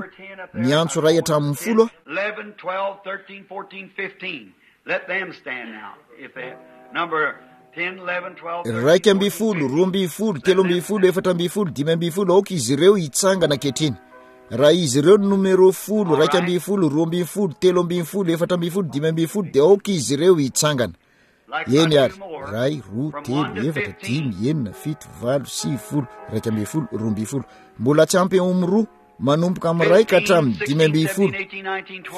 Miantso iray hatramin'ny folo aho. Eleven, twelve, thirteen, fourteen, fifteen. Let them stand now. If they number ten, eleven, twelve, thirteen, Iraika ambin'ny fourteen, folo, roa ambin'ny folo, telo ambin'ny folo, efatra ambin'ny folo, dimy ambin'ny folo, aoka izy ireo hitsangana ankehitriny. Raha izy ireo ny numero folo, iraika ambin'ny folo, roa ambin'ny folo, telo ambin'ny folo, efatra ambin'ny folo, dimy ambin'ny folo, dia aoka izy ireo hitsangana. Eny ary, ray, roa, telo, efatra, dimy, enina, fito, valo, sivy, folo, iraika ambin'ny folo, roa ambin'ny folo. Mbola tsy ampy eo amin'ny roa, manomboka amin'ny ray ka hatramin'ny dimy ambin'ny folo.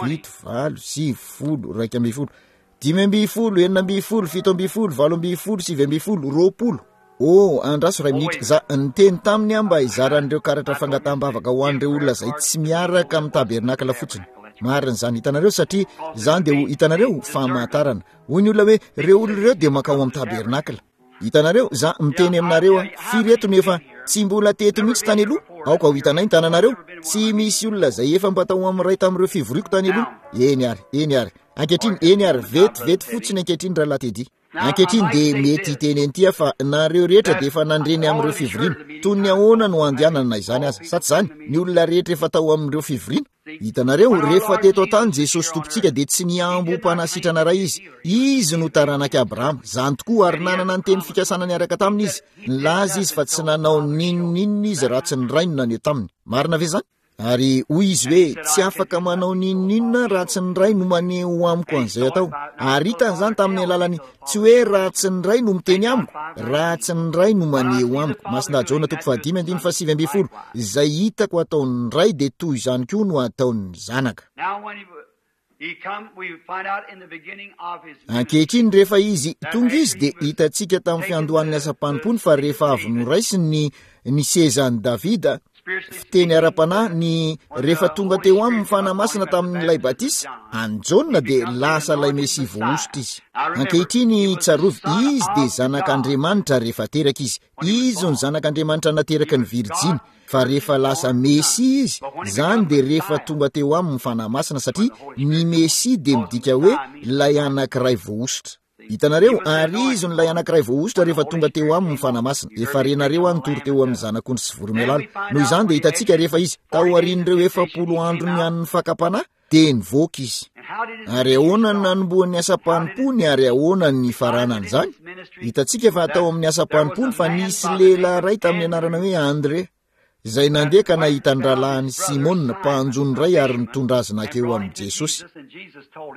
Fito, valo, sivy, folo, iraika ambin'ny folo. Dimy ambin'ny folo, enina ambin'ny folo, fito ambin'ny folo, valo ambin'ny folo, sivy ambin'ny folo, roapolo. Oh, andraso ray minitra. Za niteny taminy aho mba hizaran'ireo karatra fangataham-bavaka ho an'ireo olona izay tsy miaraka amin'ny tabernakla fotsiny. Marina izany, hitanareo, satria izany dia ho hitanareo famantarana. Hoy ny olona hoe ireo olona ireo dia mankao amin'ny tabernakla. Hitanareo, za miteny aminareo aho, firy eto no efa tsy mbola teto mihitsy tany aloha? Aoka ho hitanay ny tananareo. Tsy misy olona izay efa mba tao amin'ny iray tamin'ireo fivoriako tany aloha. Eny ary, eny ary. Ankehitriny, eny ary, vetivety fotsiny ankehitriny rahalahy Teddy. Ankehitriny dia mety hiteny an'ity aho fa nareo rehetra dia efa nandre ny amin'ireo fivoriana. Toy ny ahoana no andehanana izany aza? Sa tsy izany? Ny olona rehetra efa tao amin'ireo fivoriana. Hitanareo, rehefa teto an-tany Jesosy Tompontsika dia tsy nihambo ho mpanasitrana iray izy. Izy no taranak'i Abrahama. Izany tokoa, ary nanana ny teny fikasana niaraka taminy izy. Nilaza izy fa tsy nanao n'inon'inona izy raha tsy ny rainy naneho taminy. Marina ve izany? Ary hoy izy hoe tsy afaka manao n'inon'inona raha tsy ny ray no maneho amiko an'izay atao. Ary hitany izany tamin'ny alalany tsy hoe raha tsy ny ray no miteny amiko, raha tsy ny ray no maneho amiko. Masina Jaona toko fahadimy andininy fahasivy ambin'ny folo. Izay hitako ataon'ny ray dia toy izany koa no ataon'ny zanaka. Ankehitriny rehefa izy tonga izy dia hitantsika tamin'ny fiandohan'ny asam-panompony fa rehefa avy noraisiny ny ny sezan'i Davida, fiteny ara-panahy, ny rehefa tonga teo aminy ny Fanahy Masina tamin'ilay batisa an'i Jaona dia lasa ilay Mesia voahosotra izy. Ankehitriny tsarovy, izy dia zanak'Andriamanitra rehefa teraka izy. Izy no zanak'Andriamanitra nateraky ny Virjiny. Fa rehefa lasa Mesia izy, izany dia rehefa tonga teo aminy ny Fanahy Masina, satria ny Mesia dia midika hoe ilay anankiray voahosotra. Hitanareo, ary izy no ilay anankiray voahosotra rehefa tonga teo aminy ny Fanahy Masina. Efa renareo aho nitory teo amin'ny zanak'ondry sy voromailala. Noho izany dia hitantsika rehefa izy, taorian'ireo efapolo andro ny an'ny fakam-panahy, dia nivoaka izy. Ary ahoana ny nanombohan'ny asam-panompony, ary ahoana ny nifaranan'izany? Hitantsika fa tao amin'ny asam-panompony fa nisy lehilahy iray tamin'ny anarana hoe Andrea, izay nandeha ka nahita ny rahalahiny Simona, mpanjono iray, ary nitondra azy nankeo amin'i Jesosy.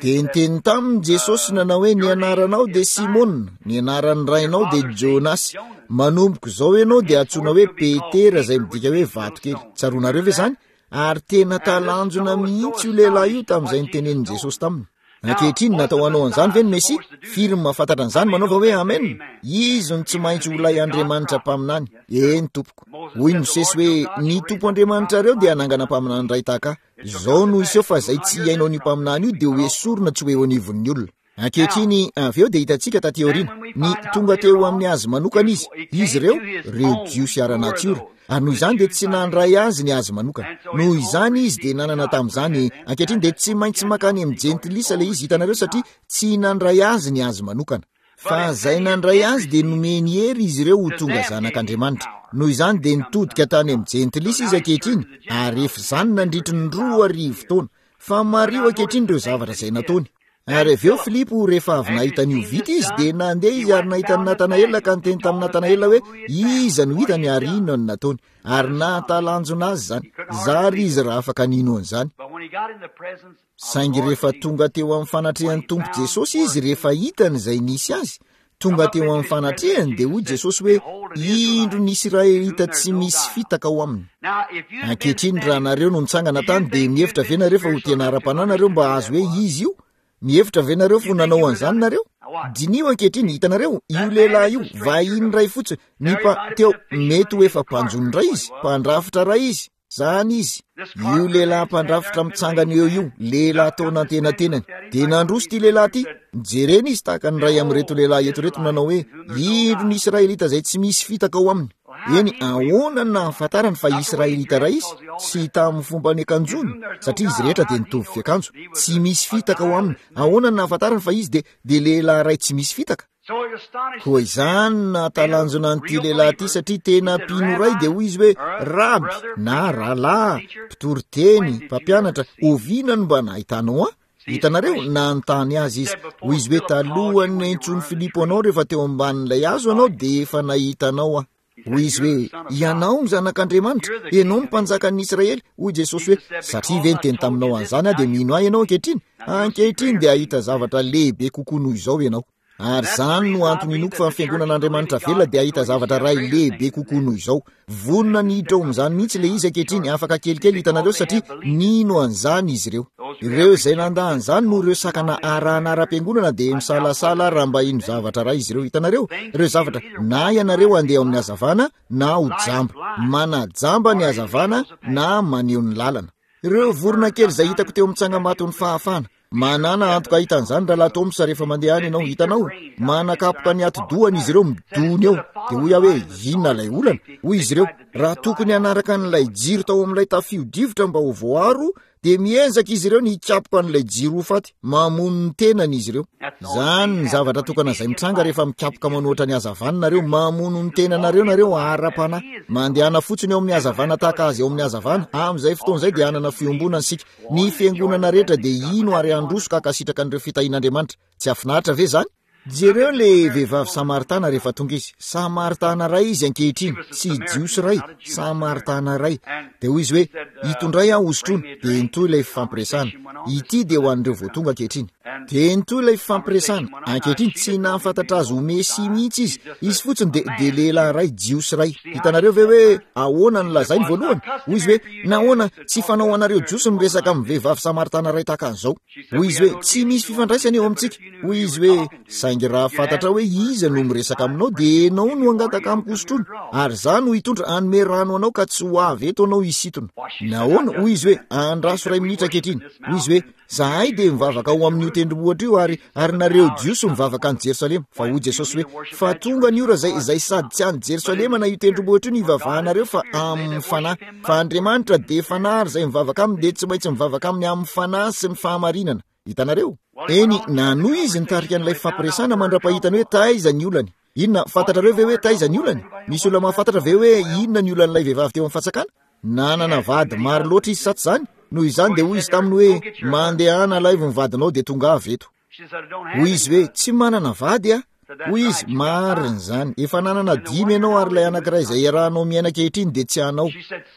Dia niteny taminy Jesosy nanao hoe, ny anaranao dia Simona, ny anaran'ny rainao dia Jonasy. Manomboka izao ianao dia antsoina hoe Petera, izay midika hoe vato kely. Tsaroanareo ve izany? Ary tena talanjona mihitsy io lehilahy io tamin'izay nitenenin'i Jesosy taminy. Ankehitriny, natao hanao an'izany ve ny Mesia? Firy no mahafantatra an'izany manaova hoe amen? Izy no tsy maintsy ho ilay Andriamanitra mpaminany. Eny tompoko. Hoy Mosesy hoe, ny Tompo Andriamanitrareo dia hanangana mpaminany iray tahaka ahy. Izao no hiseho fa izay tsy hihaino an'io mpaminany io dia ho esorina tsy ho eo anivon'ny olona. Ankehitriny, avy eo dia hitantsika taty aoriana, ny tonga teo amin'ny azy manokana izy, izy ireo, ireo Jiosy ara-natiora, ary noho izany dia tsy nandray azy ny azy manokana. Noho izany izy dia nanana tamin'izany, ankehitriny dia tsy maintsy mankany amin'ny jentilisa ilay izy, hitanareo, satria tsy nandray azy ny azy manokana. Fa izay nandray azy dia nomeny hery izy ireo ho tonga zanak'Andriamanitra. Noho izany dia nitodika tany amin'ny jentilisa izy ankehitriny, ary efa izany nandritry ny roa arivo taona. Fa mariho ankehitriny ireo zavatra izay nataony. Ary avy eo Filipo, rehefa avy nahita an'io vita izy, dia nandeha izy ary nahita an'i Natanaela ka niteny tamin'i Natanaela hoe, iza no hitany ary inona no nataony. Ary nahatalanjona azy izany. Zary izy raha afaka nino an'izany. Saingy rehefa tonga teo amin'ny fanatrehan'ny Tompo Jesosy izy, rehefa hitany izay nisy azy, tonga teo amin'ny fanatrehany, dia hoy Jesosy hoe, indro ny Israelita tsy misy fitaka ao aminy. Ankehitriny, raha nareo no nitsangana tany, dia mihevitra ve nareo fa ho tena ara-panahy nareo mba hahazo hoe izy io? Mihevitra ve nareo fa ho nanao an'izany nareo? Diniho ankehitriny, hitanareo, io lehilahy io, vahiny iray fotsiny, ny mpa, teo, mety ho efa mpanjono iray izy, mpandrafitra iray izy. Zany izy, io lehilahy mpandrafitra mitsangana eo io, lehilahy tao nantenatenany, dia nandroso ity lehilahy ity. Nijerena izy tahaka ny iray amin'ireto lehilahy eto ireto nanao hoe, indro ny Israelita izay tsy misy fitaka ao aminy. Eny, ahoana no nahafantarany fa Israelita iray izy? Tsy tamin'ny fomba niakanjoany, satria izy rehetra dia nitovy fiakanjo. Tsy misy fitaka ao aminy. Ahoana no nahafantarany fa izy dia, dia lehilahy iray tsy misy fitaka? Koa izany no nahatalanjona an'ity lehilahy ity, satria tena mpino iray, dia hoy izy hoe, Raby, na rahalahy, mpitory teny, mpampianatra, oviana no mba nahitanao ahy? Hitanareo, nanontany azy izy. Hoy izy hoe, talohan'ny niantsoan'i Filipo anao rehefa teo ambanin'ilay hazo ianao, dia efa nahita anao aho. Hoy izy hoe, ianao no zanak'Andriamanitra, ianao no mpanjakan'ny Israely. Hoy Jesosy hoe, satria ve niteny taminao an'izany aho dia mino ahy ianao ankehitriny? Ankehitriny dia hahita zavatra lehibe kokoa noho izao ianao. Ary izany no antony inoako fa ny fiangonan'Andriamanitra velona dia hahita zavatra iray lehibe kokoa noho izao. Vonona ny hiditra ao amin'izany mihitsy ilay izy ankehitriny, afaka kelikely hitanareo, satria nino an'izany izy ireo. Ireo izay nandà an'izany noho ireo sakana arahana ara-piangonana dia misalasala raha mba hino zavatra iray izy ireo. Hitanareo, ireo zavatra na ianareo handeha ao amin'ny hazavana na ho jamba. Manajamba ny hazavana na maneho ny lalana. Ireo vorona kely izay hitako teo amin'ny tsangambaton'ny fahafahana. Manana antoka hahita an'izany rahalahy Thomas rehefa mandeha any ianao. Hitanao, manakapoka ny atidohany izy ireo midony eo. Dia hoy aho hoe inona ilay olana? Hoy izy ireo, raha tokony hanaraka an'ilay jiro tao amin'ilay tafio-drivotra mba ho voaro, dia miezaka izy ireo ny hikapoka an'ilay jiro ho faty. Mamono ny tenany izy ireo. Izany ny zavatra tokana izay mitranga rehefa mikapoka manohitra ny hazavana nareo. Mamono ny tenanareo nareo ara-panahy. Mandehana fotsiny eo amin'ny hazavana tahaka azy eo amin'ny hazavana. Amin'izay fotoana izay dia hanana fiombonana isika. Ny fiangonana rehetra dia hino ary handroso ka hankasitraka an'ireo fitahian'Andriamanitra. Tsy hafinaritra ve izany? Jereo ilay vehivavy Samaritana rehefa tonga izy. Samaritana iray izy ankehitriny, tsy Jiosy iray, Samaritana iray. Dia hoy izy hoe, itondray aho hosotroina. Dia nitohy ilay fifampiresahana. Ity dia ho an'ireo vao tonga ankehitriny. Dia nitohy ilay fifampiresahana. Ankehitriny tsy nahafantatra azy ho Mesia mihitsy izy. Izy fotsiny dia, dia lehilahy iray, Jiosy iray. Hitanareo ve hoe ahoana no lazainy voalohany? Hoy izy hoe, nahoana tsy fanao anareo Jiosy miresaka amin'ny vehivavy Samaritana iray tahaka an'izao? Hoy izy hoe, tsy misy fifandraisana eo amintsika. Hoy izy hoe, saingy raha fantatra hoe iza no miresaka aminao dia ianao no hangataka amiko hosotroina, ary izaho no hitondra hanome rano anao ka tsy ho avy eto anao hisintona. Nahoana? Hoy izy hoe, andraso iray minitra ankehitriny. Hoy izy hoe, zahay dia mivavaka ao amin'io tendrombohitra io, ary ary nareo Jiosy mivavaka any Jerosalema. Fa hoy Jesosy hoe, fa tonga ny ora izay, izay sady tsy any Jerosalema na io tendrombohitra io no hivavahanareo fa amin'ny fanahy. Fa Andriamanitra dia fanahy, ary izay mivavaka aminy dia tsy maintsy mivavaka aminy amin'ny fanahy sy ny fahamarinana. Hitanareo? Eny, nanohy izy nitarika an'ilay fampiresana mandra-pahitany hoe taiza ny olany. Inona, fantatrareo ve hoe taiza ny olany? Misy olona mahafantatra ve hoe inona ny olan'ilay vehivavy teo amin'ny fatsakana? Nanana vady maro loatra izy, sa tsy izany? Noho izany dia hoy izy taminy hoe, mandehana alaivo ny vadinao dia tonga avy eto. Hoy izy hoe, tsy manana vady aho. Hoy izy, marina izany, efa nanana dimy ianao ary ilay anankiray izay iarahanao miaina ankehitriny dia tsy anao.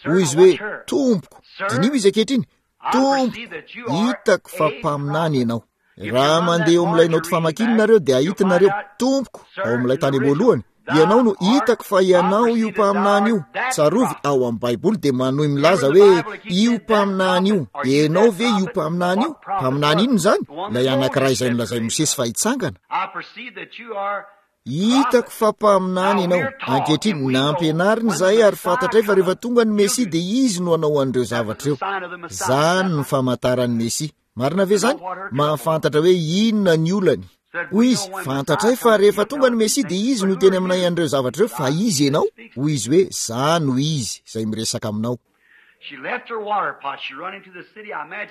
Hoy izy hoe, tompoko, diniho izy ankehitriny, tompoko, hitako fa mpaminany ianao. Raha mandeha eo amin'ilay naoty famakiana nareo dia hahita nareo, tompoko, ao amin'ilay tany am-boalohany, ianao no hitako fa ianao io mpaminany io. Tsarovy ao amin'ny Baiboly dia manohy milaza hoe io mpaminany io. Ianao ve io mpaminany io? Mpaminany inona izany? Ilay anankiray izay nolazain'i Mosesy fa hitsangana. Hitako fa mpaminany ianao. Ankehitriny nampianarina izahay ary fantatray fa rehefa tonga ny Mesia dia izy no hanao an'ireo zavatra ireo. Izany no famantaran'ny Mesia. Marina ve izany? Mahafantatra hoe inona ny olany. Hoy izy, fantatray fa rehefa tonga ny Mesia dia izy no teny aminay an'ireo zavatra ireo, fa izy ianao? Hoy izy hoe, za no izy izay miresaka aminao.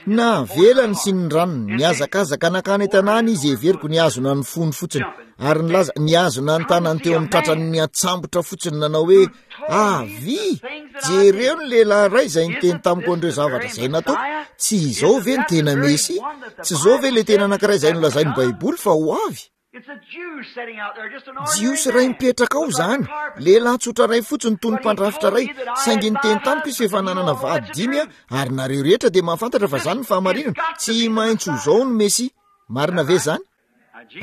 Navelany sy ny ranony, nihazakazaka nankany an-tanàna izy, heveriko nihazona ny fony fotsiny, ary nilaza, nihazona ny tanany teo amin'ny tratrany niantsambotra fotsiny, nanao hoe, avy, jereo ny lehilahy iray izay niteny tamiko an'ireo zavatra izay nataoko. Tsy izao ve ny tena Mesia? Tsy izao ve ilay tena anankiray izay nolazain'ny Baiboly fa ho avy? Jiosy iray mipetraka ao izany, lehilahy tsotra iray fotsiny toy ny mpandrafitra iray, saingy niteny tamiko izy fa efa nanana vady dimy aho, ary nareo rehetra dia mahafantatra fa izany ny fahamarinana. Tsy maintsy ho izao ny Mesia. Marina ve izany?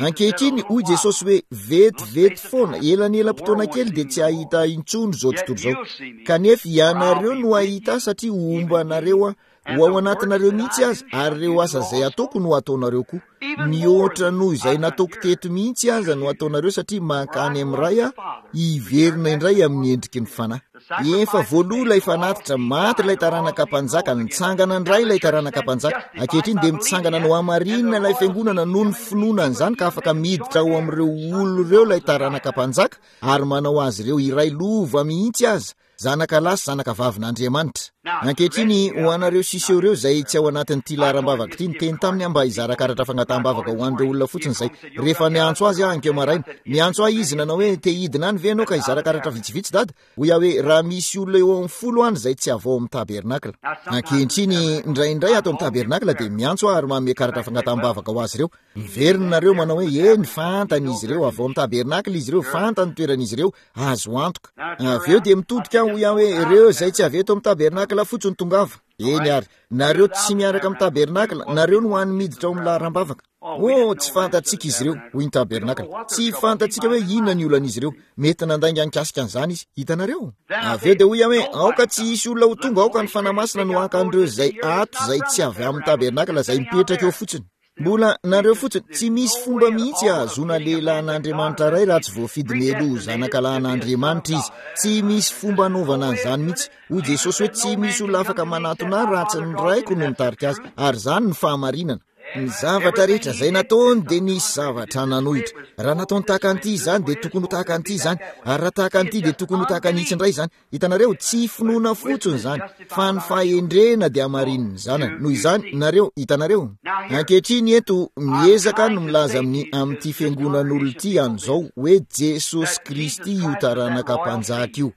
Ankehitriny, hoy Jesosy hoe, vetivety foana, elanelam-potoana kely dia tsy hahita intsony izao tontolo izao. Kanefa ianareo no hahita ahy satria homba anareo aho, ho ao anatinareo mihitsy aza, ary ireo asa izay ataoko no hataonareo koa. Mihoatra noho izay nataoko teto mihitsy aza no hataonareo satria mankany amin'ny Ray aho, hiverina indray amin'ny endriky ny Fanahy. Efa voaloa ilay fanatitra, maty ilay taranaka mpanjaka, nitsangana indray ilay taranaka mpanjaka. Ankehitriny dia mitsangana no hamarinina ilay fiangonana noho ny finoana an'izany ka afaka miditra ao amin'ireo olona ireo ilay taranaka mpanjaka ary manao azy ireo iray lova mihitsy aza, zanaka lahy sy zanaka vavin'Andriamanitra. Ankehitriny, ho anareo sisa eo ireo izay tsy ao anatin'ity laharam-bavaka ity, niteny taminy aho mba hizara karatra fangataham-bavaka ho an'ireo olona fotsiny izay rehefa niantso azy aho ankeo maraina. Niantso ahy izy nanao hoe, te hidina any ve ianao ka hizara karatra vitsivitsy dada? Hoy aho hoe, raha misy olona eo amin'ny folo any izay tsy avy ao amin'ny tabernakla. Ankehitriny, indraindray ato amin'ny tabernakla dia miantso aho ary manome karatra fangataham-bavaka ho azy ireo. Miverina nareo manao hoe, eny, fantany izy ireo, avy ao amin'ny tabernakla izy ireo, fantany ny toeran'izy ireo, azo antoka. Avy eo dia mitodika aho, hoy aho hoe, ireo izay tsy avy eto amin'ny tabernakla fotsiny tongava. Eny ary, nareo tsy miaraka amin'ny tabernakla, nareo no hany miditra ao amin'ny laharam-bavaka. Oh, tsy fantatsika izy ireo, hoy ny tabernakla. Tsy fantatsika hoe inona ny olan'izy ireo. Mety nandainga nikasika an'izany izy. Hitanareo? Avy eo dia hoy aho hoe aoka tsy hisy olona ho tonga, aoka ny Fanahy Masina no haka an'ireo izay ato izay tsy avy amin'ny tabernakla izay mipetraka eo fotsiny. Mbola nareo fotsiny, tsy misy fomba mihitsy ahazoana lehilahin'Andriamanitra iray raha tsy voafidy mialoha ho zanaka lahin'Andriamanitra izy. Tsy misy fomba anaovana an'izany mihitsy. Hoy Jesosy hoe tsy misy olona afaka manatona ahy raha tsy ny Raiko no mitarika azy, ary izany ny fahamarinana. Ny zavatra rehetra izay nataony dia nisy zavatra nanohitra. Raha nataony tahaka an'ity izany dia tokony ho tahaka an'ity izany, ary raha tahaka an'ity dia tokony ho tahaka an'itsy indray izany. Hitanareo, tsy finoana fotsiny izany, fa ny fahendrena dia hamarinin'ny zanany. Noho izany, nareo, hitanareo. Ankehitriny eto, miezaka no milaza amin'ny amin'ity fiangonan'olona ity an'izao hoe Jesosy Kristy io taranaka mpanjaka io.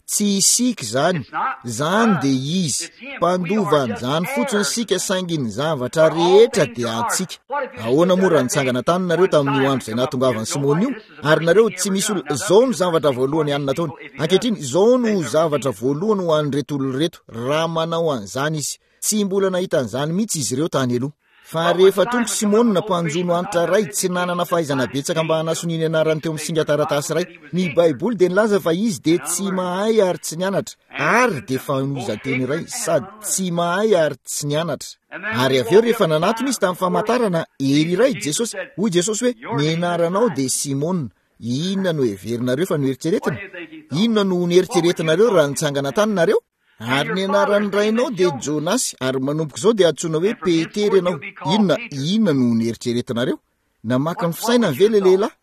Tsy isika izany, izany dia izy. Mpandova an'izany fotsiny isika, saingy ny zavatra rehetra dia antsika. Ahoana moa raha nitsangana tany nareo tamin'io andro izay nahatongavan'i Simona io? Ary nareo tsy misy olona, izao no zavatra voalohany ihany nataony. Ankehitriny, izao no zavatra voalohany ho an'ireto olona ireto, raha manao an'izany izy. Tsy mbola nahita an'izany mihitsy izy ireo tany aloha. Fa rehefa tonga Simona mpanjono antitra iray, tsy nanana fahaizana betsaka mba hanasoniany anarany teo amin'ny singan-taratasy iray. Ny Baiboly dia nilaza fa izy dia tsy mahay ary tsy nianatra, ary dia fanohizan-teny iray, sady tsy mahay ary tsy nianatra. Ary avy eo rehefa nanatona izy tamin'ny famantarana hery iray, Jesosy, hoy Jesosy hoe, ny anaranao dia Simona. Inona no heverinareo fa noeritreretina? Inona no noeritreretinareo raha nitsangana tany nareo? Ary ny anaran'ny rainao dia Jonasy, ary manomboka izao dia antsoina hoe Petera ianao. Inona, inona no noeritreretinareo? Namaky ny fisainany ve ilay lehilahy?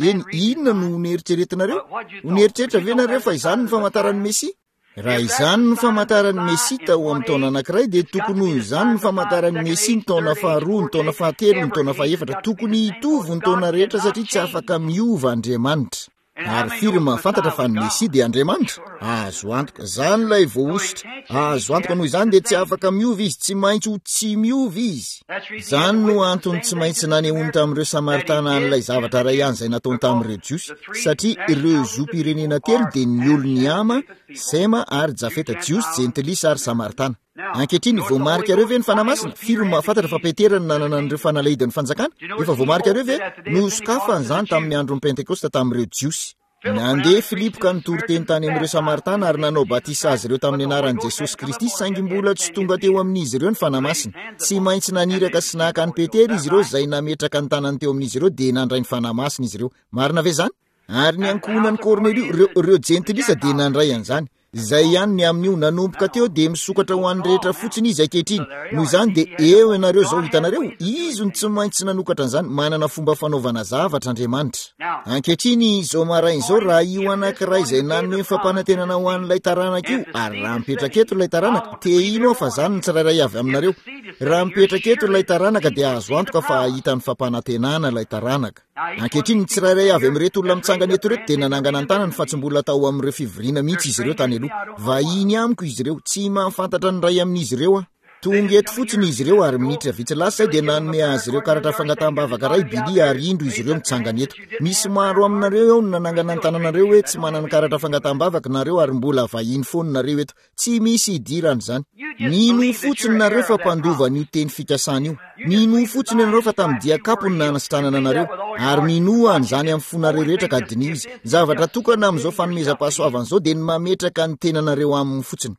Eny, inona no noeritreretinareo? Ho nieritreritra ve nareo fa izany no famantaran'ny Mesia? Raha izany no famantaran'ny Mesia tao amin'ny taona anankiray, dia tokony ho izany no famantaran'ny Mesia ny taona faharoa, ny taona fahatelo, ny taona fahefatra. Tokony hitovy ny taona rehetra satria tsy afaka miova Andriamanitra. Ary firy mahafantatra fa ny Mesia dia Andriamanitra? Azo antoka, izany ilay voahosotra. Azo antoka, noho izany dia tsy afaka miova izy, tsy maintsy ho tsy miova izy. Izany no antony tsy maintsy nanehoany tamin'ireo Samaritana an'ilay zavatra iray ihany izay nataony tamin'ireo Jiosy, satria ireo zom-pirenena telo dia ny olon'i Hama, Sema ary Jafeta, Jiosy, Jentilisa ary Samaritana. Ankehitriny, voamarikareo ve ny Fanahy Masina? Firy no mahafantatra fa Petera no nanana an'ireo fanalahidin'ny fanjakana? Efa voamarikareo ve? Nosokafany izany tamin'ny andron'ny Pentekosta tamin'ireo Jiosy. Nandeha Filipo ka nitory teny tany amin'ireo Samaritana ary nanao batisa azy ireo tamin'ny anaran'i Jesosy Kristy, saingy mbola tsy tonga teo amin'izy ireo ny Fanahy Masina. Tsy maintsy naniraka sy naka an'i Petera izy ireo, izay nametraka ny tanany teo amin'izy ireo, dia nandray ny Fanahy Masina izy ireo. Marina ve izany? Ary ny ankohonan'i Kornelio, ireo, ireo Jentilisa dia nandray an'izany. Izay ihany ny amin'io, nanomboka teo dia misokatra ho an'ny rehetra fotsiny izy ankehitriny. Noho izany dia eo ianareo izao, hitanareo, izy no tsy maintsy nanokatra an'izany, manana fomba fanaovana zavatra Andriamanitra. Ankehitriny, izao maraina izao, raha io anankiray izay nanome ny fampanantenana ho an'ilay taranaka io, ary raha mipetraka eto ilay taranaka, te hino aho fa izany ny tsirairay avy aminareo. Raha mipetraka eto ilay taranaka dia azo antoka fa hahita ny fampanantenana ilay taranaka. Ankehitriny, ny tsirairay avy amin'ireto olona mitsangana eto ireto dia nanangana ny tanany fa tsy mbola tao amin'ireo fivoriana mihitsy izy ireo tany aloha. Vahiny amiko izy ireo, tsy mahafantatra ny iray amin'izy ireo aho. Tonga eto fotsiny izy ireo ary minitra vitsy lasa izay dia nanome azy ireo karatra fangataham-bavaka iray Billy ary indro izy ireo mitsangana eto. Misy maro aminareo eo no nanangana ny tananareo hoe tsy manana karatra fangataham-bavaka nareo ary mbola vahiny foana nareo eto. Tsy misy idirana izany. Minoa fotsiny nareo fa mpandova an'io teny fikasana io. Minoa fotsiny ianareo fa tamin'ny dian-kapo no nanasitranana anareo. Ary minoa an'izany amin'ny fonareo rehetra ka diniho izy. Ny zavatra tokana amin'izao fanomezam-pahasoavana izao dia ny mametraka ny tenanareo aminy fotsiny.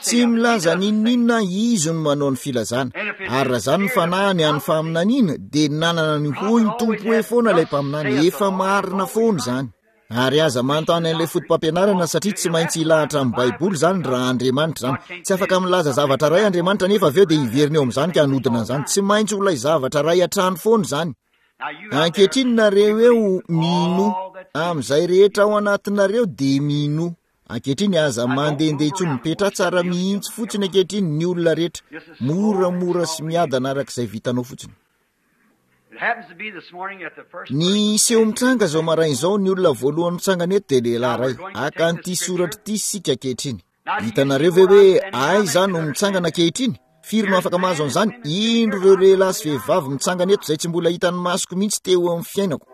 Tsy milaza n'inon'inona izy no manao ny filazana. Ary raha izany ny fanahiny an'ny faminaniana, dia nanana ny hoy ny Tompo hoe foana ilay mpaminany. Efa marina foana izany. Ary aza manontany an'ilay foto-pampianarana satria tsy maintsy hilahatra amin'ny Baiboly izany raha Andriamanitra izany. Tsy afaka milaza zavatra iray Andriamanitra nefa avy eo dia hiverina eo amin'izany ka hanodina an'izany. Tsy maintsy ho ilay zavatra iray hatrany foana izany. Ankehitriny nareo eo minoa. Amin'izay rehetra ao anatinareo dia minoa. Ankehitriny aza mandehandeha intsony, mipetraha tsara mihitsy fotsiny ankehitriny ny olona rehetra. Moramora sy miadana araka izay vitanao fotsiny. Ny seho mitranga izao maraina izao, ny olona voalohany mitsangana eto dia lehilahy iray. Haka an'ity soratra ity isika ankehitriny. Hitanareo ve hoe aiza no mitsangana ankehitriny? Firy no afaka mahazo an'izany? Indro ireo lehilahy sy vehivavy mitsangana eto izay tsy mbola hitan'ny masoko mihitsy teo amin'ny fiainako.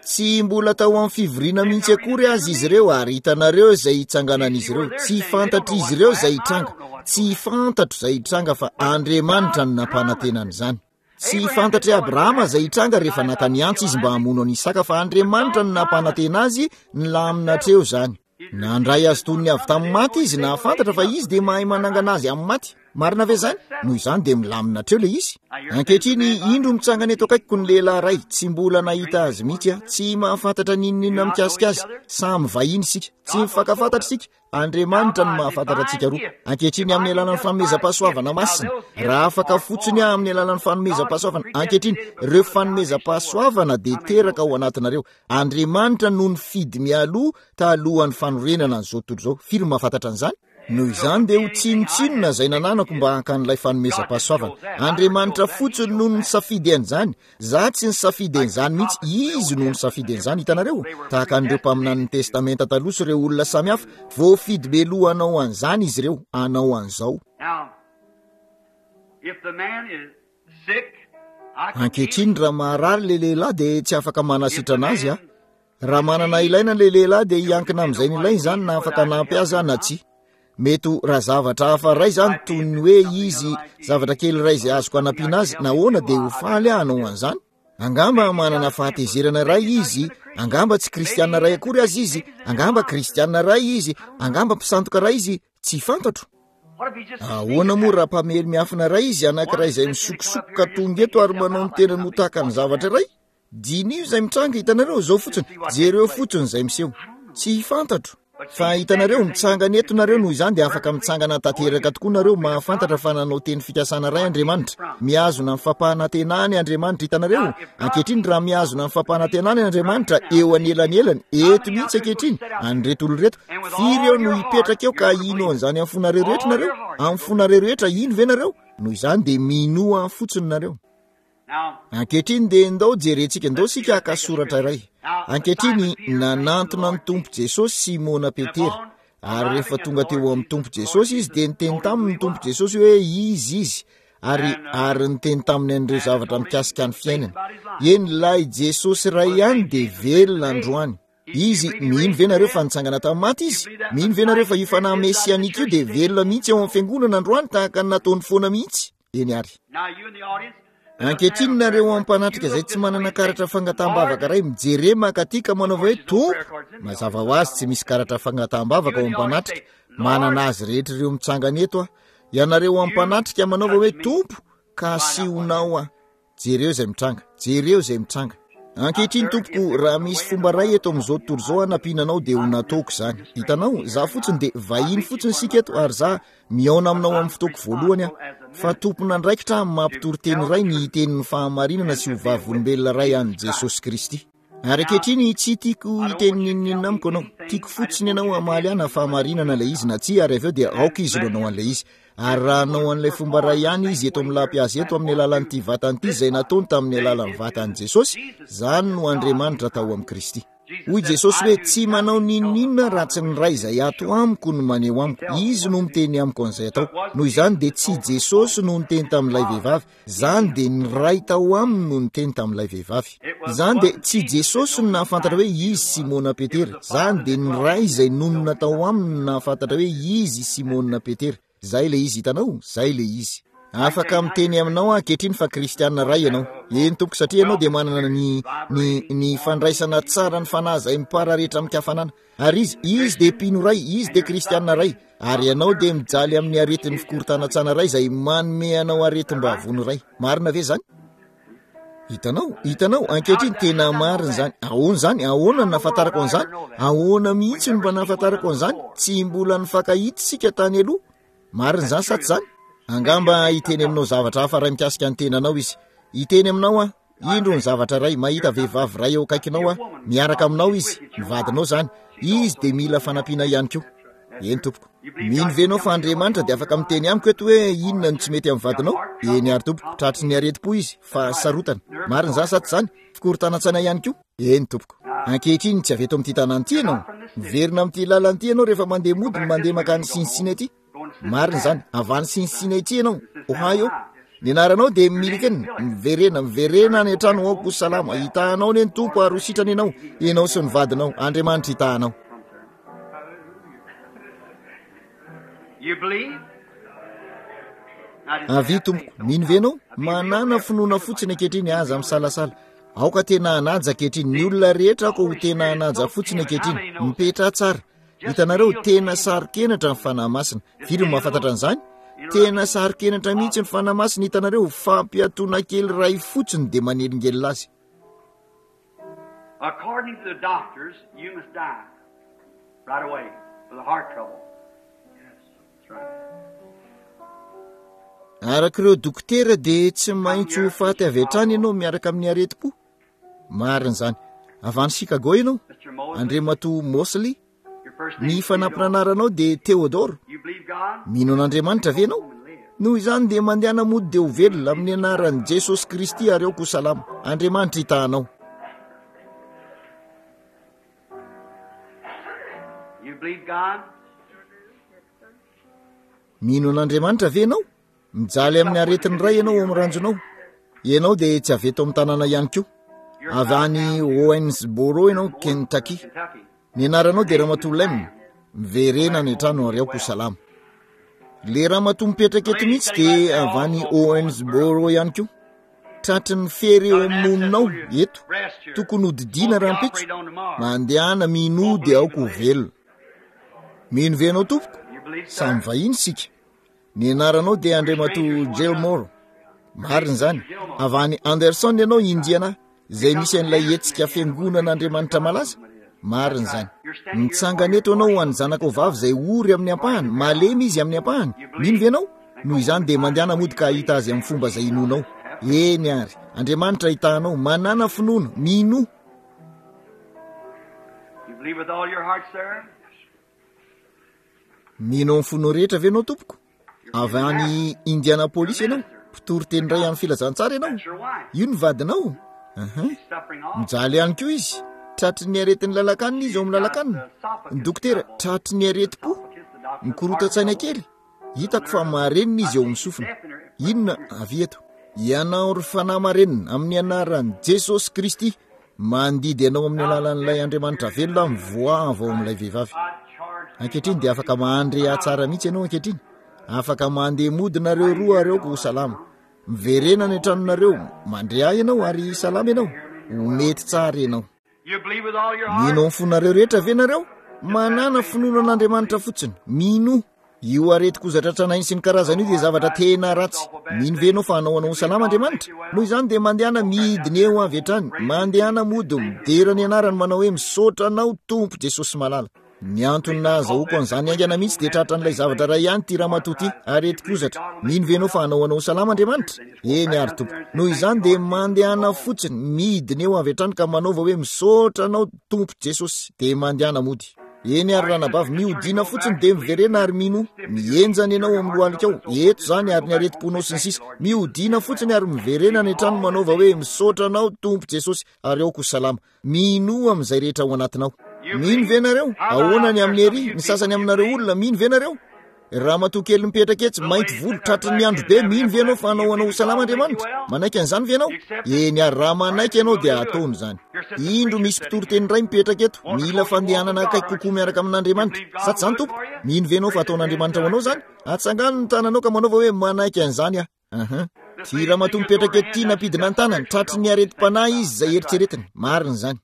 Tsy mbola tao amin'ny fivoriana mihitsy akory aza izy ireo, ary hitanareo izay hitsanganan'izy ireo. Tsy fantatr'izy ireo izay hitranga. Tsy fantatro izay hitranga fa Andriamanitra no nampanantena an'izany. Tsy fantatry Abrahama izay hitranga rehefa naka ny antsy izy mba hamono an'i Isaka, fa Andriamanitra no nampanantena azy nilamina hatreo izany. Nandray azy toy ny avy tamin'ny maty izy, nahafantatra fa izy dia mahay manangana azy amin'ny maty. Marina ve izany? Noho izany dia milamina hatreo ilay izy. Ankehitriny, indro mitsangana eto akaikiko ny lehilahy iray, tsy mbola nahita azy mihitsy aho, tsy mahafantatra n'inon'inona mikasika azy. Samy vahiny isika, tsy mifankafantatra isika. Andriamanitra no mahafantatra antsika roa. Ankehitriny, amin'ny alalan'ny fanomezam-pahasoavana masina, raha afaka fotsiny aho amin'ny alalan'ny fanomezam-pahasoavana, ankehitriny, ireo fanomezam-pahasoavana dia teraka ao anatinareo. Andriamanitra no nifidy mialoha talohan'ny fanorenana an'izao tontolo izao. Firy no mahafantatra an'izany? Noho izany dia ho tsinontsinona izay nananako mba hankan'ilay fanomezam-pahasoavana. Andriamanitra fotsiny no nisafidy an'izany. Za tsy nisafidy an'izany mihitsy, izy no nisafidy an'izany, hitanareo? Tahaka an'ireo mpaminanin'ny Testamenta taloha sy ireo olona samihafa, voafidy mialoha hanao an'izany izy ireo, hanao an'izao. Ankehitriny, raha maharary ilay lehilahy dia tsy afaka manasitrana azy aho. Raha manana ilaina ilay lehilahy dia hiankina amin'izay nilainy izany na afaka hanampy azy aho na tsia. Mety ho raha zavatra hafa iray izany toy ny hoe izy zavatra kely iray izay azoko hanampiana azy, nahoana dia ho faly aho hanao an'izany. Angamba manana fahatezerana iray izy, angamba tsy kristiana iray akory aza izy, angamba kristiana iray izy, angamba mpisandoka iray izy, tsy fantatro. Ahoana moa raha mpamely miafina iray izy, anankiray izay misokosokoka tonga eto ary manao ny tenany ho tahaka ny zavatra iray? Diniho izay mitranga, hitanareo, izao fotsiny, jereo fotsiny izay miseho. Tsy fantatro. Fa hitanareo, mitsangana eto nareo, noho izany dia afaka mitsangana tanteraka tokoa nareo, mahafantatra fa nanao teny fikasana iray Andriamanitra. Mihazona ny fampanantenany Andriamanitra, hitanareo. Ankehitriny, raha mihazona ny fampanantenany Andriamanitra eo anelanelany, eto mihitsy ankehitriny, an'ireto olona ireto, firy eo no hipetraka eo ka hino an'izany amin'ny fonareo rehetra nareo? Amin'ny fonareo rehetra, hino ve nareo? Noho izany dia minoa fotsiny nareo. Ankehitriny dia ndao jerentsika, ndao isika haka soratra iray. Ankehitriny, nanantona ny Tompo Jesosy Simona Petera, ary rehefa tonga teo amin'ny Tompo Jesosy izy dia niteny taminy ny Tompo Jesosy hoe izy izy, ary ary niteny taminy an'ireo zavatra mikasika ny fiainany. Eny, ilay Jesosy iray ihany dia velona androany. Izy, mino ve nareo fa nitsangana tamin'ny maty izy? Mino ve nareo fa io fanahy mesianika io dia velona mihitsy ao amin'ny fiangonana androany tahaka ny nataony foana mihitsy? Eny ary. Ankehitriny nareo ampanatrika izay tsy manana karatra fangataham-bavaka iray, mijere mankaty ka manaova hoe Tompo, mazava ho azy tsy misy karatra fangataham-bavaka ao ampanatrika, manana azy rehetra ireo mitsangana eto aho. Ianareo ampanatrika manaova hoe Tompo, ka asehonao aho. Jereo izay mitranga, jereo izay mitranga. Ankehitriny tompoko, raha misy fomba iray eto amin'izao tontolo izao hanampiana anao dia ho nataoko izany. Hitanao, za fotsiny dia vahiny fotsiny isika eto ary za mihaona aminao amin'ny fotoako voalohany aho. Fa tompon'andraikitra aho amin'ny maha-mpitory teny iray ny hiteny ny fahamarinana sy ho vavolombelona iray an'i Jesosy Kristy. Ary ankehitriny tsy tiako hiteny n'inon'inona amiko ianao. Tiako fotsiny ianao hamaly ahy na fahamarinana ilay izy na tsia, ary avy eo dia aoka izy no hanao an'ilay izy. Ary raha hanao an'ilay fomba iray ihany izy eto amin'ny lampihazo eto amin'ny alalan'ity vatany ity izay nataony tamin'ny alalan'ny vatan'i Jesosy, izany no Andriamanitra tao amin'i Kristy. Hoy Jesosy hoe, tsy manao n'inon'inona raha tsy ny Ray izay ato amiko no maneho amiko. Izy no miteny amiko an'izay atao. Noho izany dia tsy Jesosy no niteny tamin'ilay vehivavy. Izany dia ny Ray tao aminy no niteny tamin'ilay vehivavy. Izany dia tsy Jesosy no nahafantatra hoe izy Simona Petera. Izany dia ny Ray izay nonina tao aminy no nahafantatra hoe izy Simona Petera. Izay ilay izy, hitanao? Izay ilay izy. Afaka miteny aminao aho ankehitriny fa kristiana iray ianao. Eny tompoko, satria ianao dia manana ny, ny, ny fandraisana tsara ny fanahy izay mipararetra amin-kafanana. Ary izy, izy dia mpino iray, izy dia kristiana iray. Ary ianao dia mijaly amin'ny aretin'ny fikorontanan-tsaina iray izay manome anao aretim-bavony iray. Marina ve izany? Hitanao, hitanao, ankehitriny tena marina izany. Ahoana izany? Ahoana no nahafantarako an'izany? Ahoana mihitsy no mba nahafantarako an'izany? Tsy mbola nifankahita isika tany aloha. Marina izany sa tsy izany? Angamba hiteny aminao zavatra hafa iray mikasika ny tenanao izy. Hiteny aminao aho. Indro ny zavatra iray, mahita vehivavy iray eo akaikinao aho, miaraka aminao izy, ny vadinao izany. Izy dia mila fanampiana ihany koa. Eny tompoko. Mino ve ianao fa Andriamanitra dia afaka miteny amiko eto hoe inona no tsy mety amin'ny vadinao? Eny ary tompoko, tratry ny aretim-po izy, fahasarotana. Marina izany sa tsy izany? Fikorontanan-tsaina ihany koa. Eny tompoko. Ankehitriny tsy avy eto amin'ity tanàna ity ianao. Miverina amin'ity lalana ity ianao rehefa mandeha mody, mandeha mankany Cincinnati. Marina izany, avy any Cincinnati ianao, Ohio. Ny anaranao dia Milliken. Miverena, miverena any an-trano, aoka ho salama. Hitahanao anie ny Tompo ary ho sitrana ianao, ianao sy ny vadinao. Andriamanitra hitahanao. You believe? Avia tompoko, mino ve ianao? Manana finoana fotsiny ankehitriny, aza misalasala. Aoka tena hanaja ankehitriny, ny olona rehetra aoka ho tena hanaja fotsiny ankehitriny. Mipetraha tsara. Hitanareo, tena saro-kenatra ny Fanahy Masina. Firy no mahafantatra an'izany? Tena saro-kenatra mihitsy ny Fanahy Masina. Hitanareo, fampiatoana kely iray fotsiny dia manelingelina azy. According to the doctors, you must die right away for the heart trouble. Yes, that's right. Araka ireo dokotera dia tsy maintsy ho faty avy hatrany ianao miaraka amin'ny aretim-po. Marina izany. Avy any Chicago ianao, Mister Mosley, Andriamatoa Mosley. your first Ny name is fanampin'anaranao dia Theodore. You believe God? Mino an'Andriamanitra ve ianao? Noho izany dia mandehana mody dia ho velona amin'ny anaran'i Jesosy Kristy ary aoka ho salama. Andriamanitra hitahanao. You believe God? Mino an'Andriamanitra ve ianao? Mijaly amin'ny aretin'ny ray ianao ao amin'ny ranjonao. Ianao dia tsy avy eto amin'ny tanàna ihany koa. Avy any Owensboro ianao, Kentucky. Ny anaranao dia Ramatoa Lem. Miverena any an-trano ary aoka ho salama. Le ramatoa mipetraka eto mihitsy dia avy any Owensboro ihany koa. Tratry ny fery eo amin'ny nononao eto. Tokony hodidiana rahampitso. Mandehana minoa dia aoka ho velona. Mino ve ianao tompoko? Samy vahiny isika. Ny anaranao dia Andriamatoa Gilmore. Marina izany. Avy any Anderson ianao, Indiana, izay misy an'ilay hetsika fiangonan'Andriamanitra malaza. Marina izany. Mitsangana eto ianao ho an'ny zanakao vavy izay ory amin'ny ampahany, malemy izy amin'ny ampahany. Mino ve ianao? Noho izany dia mandehana mody ka hahita azy amin'ny fomba izay inoanao. Eny ary, Andriamanitra hitahanao. Manana finoana, minoa. You believe with all your heart, sir? Mino amin'ny fonao rehetra ve ianao tompoko? Avy any Indianapolis ianao, mpitory teny iray amin'ny filazantsara ianao. That's your wife. Io ny vadinao. Aha. She's suffering also. Mijaly ihany koa izy. Tratry ny aretin'ny lalakanina izy ao amin'ny lalakanina. Ny dokotera tratry ny aretim-po. Mikorotan-tsaina kely. Hitako fa marenina izy eo amin'ny sofina. Inona avy eto? Ianao ry fanahy marenina amin'ny anaran'i Jesosy Kristy mandidy anao amin'ny alalan'ilay Andriamanitra velona mivoaha avy ao amin'ilay vehivavy. Ankehitriny dia afaka mandre tsara mihitsy ianao ankehitriny. Afaka mandeha mody nareo roa ary aoka ho salama. Miverena any an-tranonareo, mandre ahy ianao ary salama ianao. Ho mety tsara ianao. You believe with all your heart? Mino amin'ny fonareo rehetra ve nareo? Manana finoana an'Andriamanitra fotsiny. Mino. Io aretin-kozatra tranainy sy ny karazany io dia zavatra tena ratsy. Mino ve ianao fa hanao anao ho salama Andriamanitra? Noho izany dia mandehana midina eo avy hatrany. Mandehana mody midera ny anarany manao hoe misaotra anao Tompo Jesosy malala. Ny antony nahazahoako an'izany haingana mihitsy dia tratran'ilay zavatra iray ihany ity ramatoa ity, aretin-kozatra. Mino ve ianao fa hanao anao ho salama Andriamanitra? Eny ary tompoko. Noho izany dia mandehana fotsiny midina eo avy hatrany ka manaova hoe misaotra anao Tompo Jesosy, dia mandehana mody. Eny ary ranabavy, mihodina fotsiny dia miverena ary mino. Mihenjana ianao amin'ny lohalikao, eto izany ary ny aretim-ponao sy ny sisa. Mihodina fotsiny ary miverena any an-trano manaova hoe misaotra anao Tompo Jesosy ary aoka ho salama. Minoa amin'izay rehetra ao anatinao. Mino ve nareo? Ahoana ny amin'ny ery? Ny sasany aminareo olona mino ve nareo? Ramatoa kely mipetraka etsy, mainty volo, tratry ny andro be, mino ve ianao fa hanao anao ho salama Andriamanitra? Manaiky an'izany ve ianao? Eny ary, raha manaiky ianao dia ataony izany. Indro misy mpitory teny iray mipetraka eto, mila fandehanana akaiky kokoa miaraka amin'Andriamanitra. Sa tsy izany tompoko? Mino ve ianao fa ataon'Andriamanitra ho anao izany? Atsangano ny tananao ka manaova hoe manaiky an'izany aho. Aha. Ty ramatoa mipetraka eto ty nampidina ny tanany, tratry ny aretim-panahy izy izay eritreretiny. Marina izany.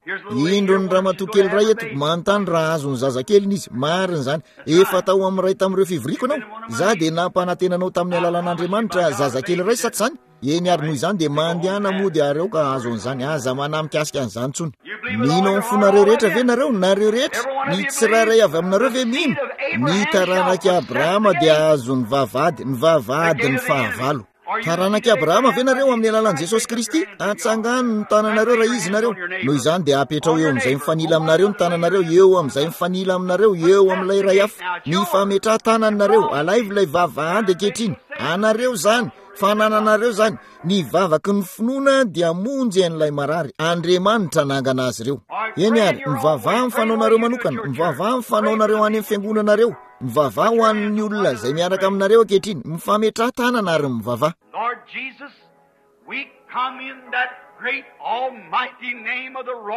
Indro ny ramatoa kely iray eto, manontany raha azon'ny zazakeliny izy. Marina izany. Efa tao amin'ny iray tamin'ireo fivoriako ianao. Izaho dia nampanantena anao tamin'ny alalan'Andriamanitra zazakely iray, sa tsy izany? Eny ary, noho izany dia mandehana mody ary aoka hahazo an'izany. Aza manahy mikasika an'izany intsony. Mino amin'ny fonareo rehetra ve nareo? Nareo rehetra? Ny tsirairay avy aminareo ve mino? Ny taranak'i Abrahama dia hahazo ny vavahady, ny vavahadin'ny fahavalo. Taranak'i Abrahama ve nareo amin'ny alalan'i Jesosy Kristy? Atsangano ny tananareo raha izy nareo. Noho izany dia apetrao eo amin'izay mifanila aminareo ny tananareo, eo amin'izay mifanila aminareo, eo amin'ilay iray hafa. Mifametraha tananareo, alaivo ilay vavahady ankehitriny. Anareo izany, fanananareo izany. Ny vavaky ny finoana dia hamonjy an'ilay marary. Andriamanitra nangana azy ireo. Eny ary, mivavaha amin'ny fanaonareo manokana, mivavaha amin'ny fanaonareo any amin'ny fiangonanareo, mivavaha ho an'ny olona izay miaraka aminareo ankehitriny, mifametraha tanana ary mivavaha. Lord Jesus,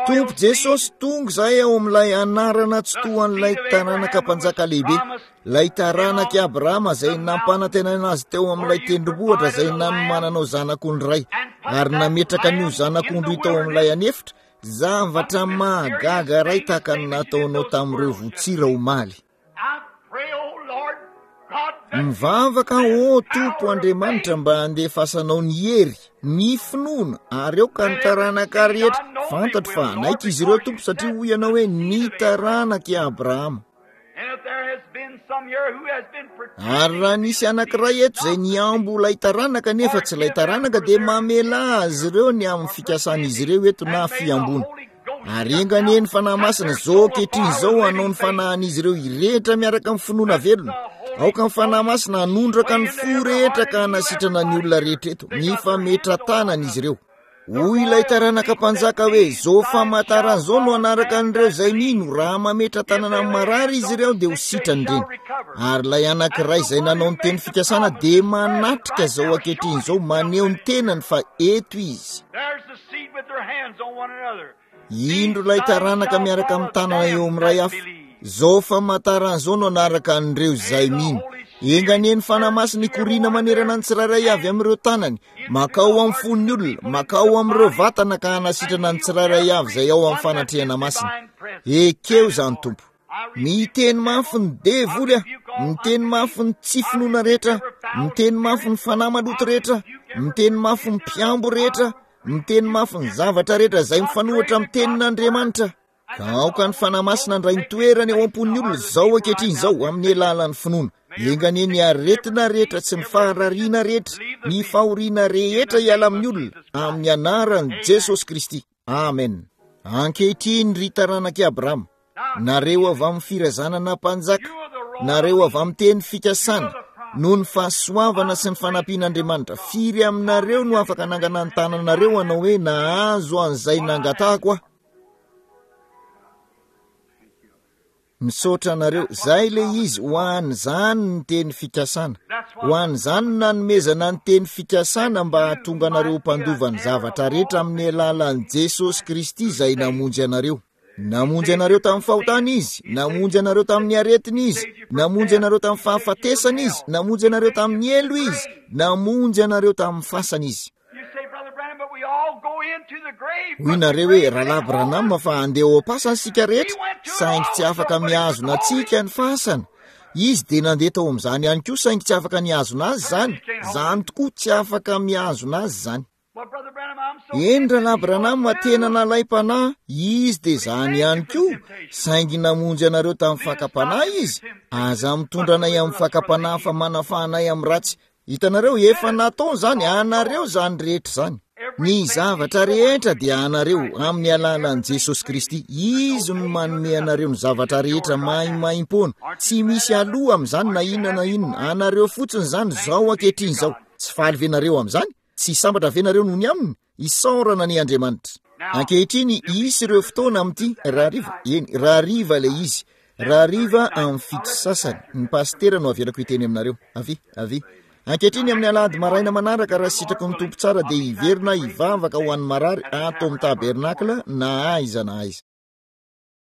Tompo Jesosy, tonga izahay ao amin'ilay anarana tsy toan'ilay taranaka mpanjaka lehibe, ilay taranak'i Abrahama izay nampanantenaina azy teo amin'ilay tendrombohitra izay nanomananao zanak'ondry iray ary nametraka an'io zanak'ondry io tao amin'ilay anefitra, zavatra mahagaga iray tahaka ny nataonao tamin'ireo votsira omaly. Mivavaka ô Tompo Andriamanitra mba handefasanao ny hery, ny finoana, ary aoka ny taranaka rehetra. Fantatro fa hanaiky izy ireo Tompo satria hoy ianao hoe ny taranak'i Abrahama. Ary raha nisy anankiray eto izay niambo ilay taranaka nefa tsy ilay taranaka, dia mamela azy ireo ny amin'ny fikasan'izy ireo eto na fiamboana. Ary enga anie ny Fanahy Masina izao ankehitriny izao hanao ny fanahin'izy ireo hirehetra miaraka amin'ny finoana velona. Aoka ny Fanahy Masina hanondraka ny fo rehetra ka hanasitrana ny olona rehetra eto. Mifametra-tanana izy ireo. Hoy ilay taranaka mpanjaka hoe izao famantarana izao no hanaraka an'ireo izay mino. Raha mametra-tanana amin'ny marary izy ireo dia ho sitrany ireny. Ary ilay anankiray izay nanao ny teny fikasana dia manatrika izao ankehitriny izao, maneho ny tenany fa eto izy. Indro ilay taranaka miaraka amin'ny tanana eo amin'ny ray hafa. Izao famantarana izao no hanaraka an'ireo izay mino. Enga anie ny Fanahy Masina hikoriana manerana ny tsirairay avy amin'ireo tanany, makao amin'ny fon'ny olona, makao amin'ireo vatana ka hanasitrana ny tsirairay avy izay ao amin'ny fanatrehana masina. Ekeo izany Tompo. Miteny mafy ny devoly aho, miteny mafy ny tsy finoana rehetra, miteny mafy ny fanahy maloto rehetra, miteny mafy ny mpiambo rehetra, miteny mafy ny zavatra rehetra izay mifanohitra amin'ny tenin'Andriamanitra. Ka aoka ny Fanahy Masina handray ny toerany ao am-pon'ny olona izao ankehitriny izao amin'ny alalan'ny finoana. Enga anie ny aretina rehetra sy ny faharariana rehetra, ny fahoriana rehetra hiala amin'ny olona amin'ny anaran'i Jesosy Kristy. Amen. Ankehitriny ry taranak'i Abrahama, nareo avy amin'ny firazanana mpanjaka, nareo avy amin'ny teny fikasana, noho ny fahasoavana sy ny fanampian'Andriamanitra, firy aminareo no afaka nangana ny tananareo hanao hoe nahazo an'izay nangatahako aho? Misaotra anareo. Zay ilay izy, ho an'izany ny teny fikasana. Ho an'izany no nanomezana ny teny fikasana mba hahatonga anareo ho mpandova ny zavatra rehetra amin'ny alalan'i Jesosy Kristy izay namonjy anareo. Namonjy anareo tamin'ny fahotana izy, namonjy anareo tamin'ny aretina izy, namonjy anareo tamin'ny fahafatesana izy, namonjy anareo tamin'ny helo izy, namonjy anareo tamin'ny fasana izy. Hoy nareo hoe Rahalahy Branham fa handeha ao am-pasana isika rehetra, saingy tsy afaka mihazona antsika ny fasana. Izy dia nandeha tao amin'izany ihany koa, saingy tsy afaka nihazona azy izany. Izany tokoa, tsy afaka mihazona azy izany. Eny, Rahalahy Branham, tena nalaim-panahy izy dia izany ihany koa, saingy namonjy anareo tamin'ny fakam-panahy izy. Aza mitondra anay amin'ny fakam-panahy fa manafaha anay amin'ny ratsy. Hitanareo, efa nataony izany, anareo izany rehetra izany. Ny zavatra rehetra dia anareo amin'ny alalan'i Jesosy Kristy. Izy no manome anareo ny zavatra rehetra maimaimpoana. Tsy misy aloha amin'izany na inona na inona. Anareo fotsiny izany izao ankehitriny izao. Tsy faly ve nareo amin'izany? Tsy sambatra ve nareo noho ny aminy? Isaorana ny Andriamanitra. Ankehitriny hisy ireo fotoana amin'ity rahariva, eny, rahariva ilay izy. Rahariva amin'ny fito sasany, ny pasitera no avelako hiteny aminareo. Avia, avia. Ankehitriny amin'ny alahady maraina manaraka, raha sitraky ny Tompo tsara, dia hiverina hivavaka ho an'ny marary ato amin'ny tabernakla na aiza na aiza.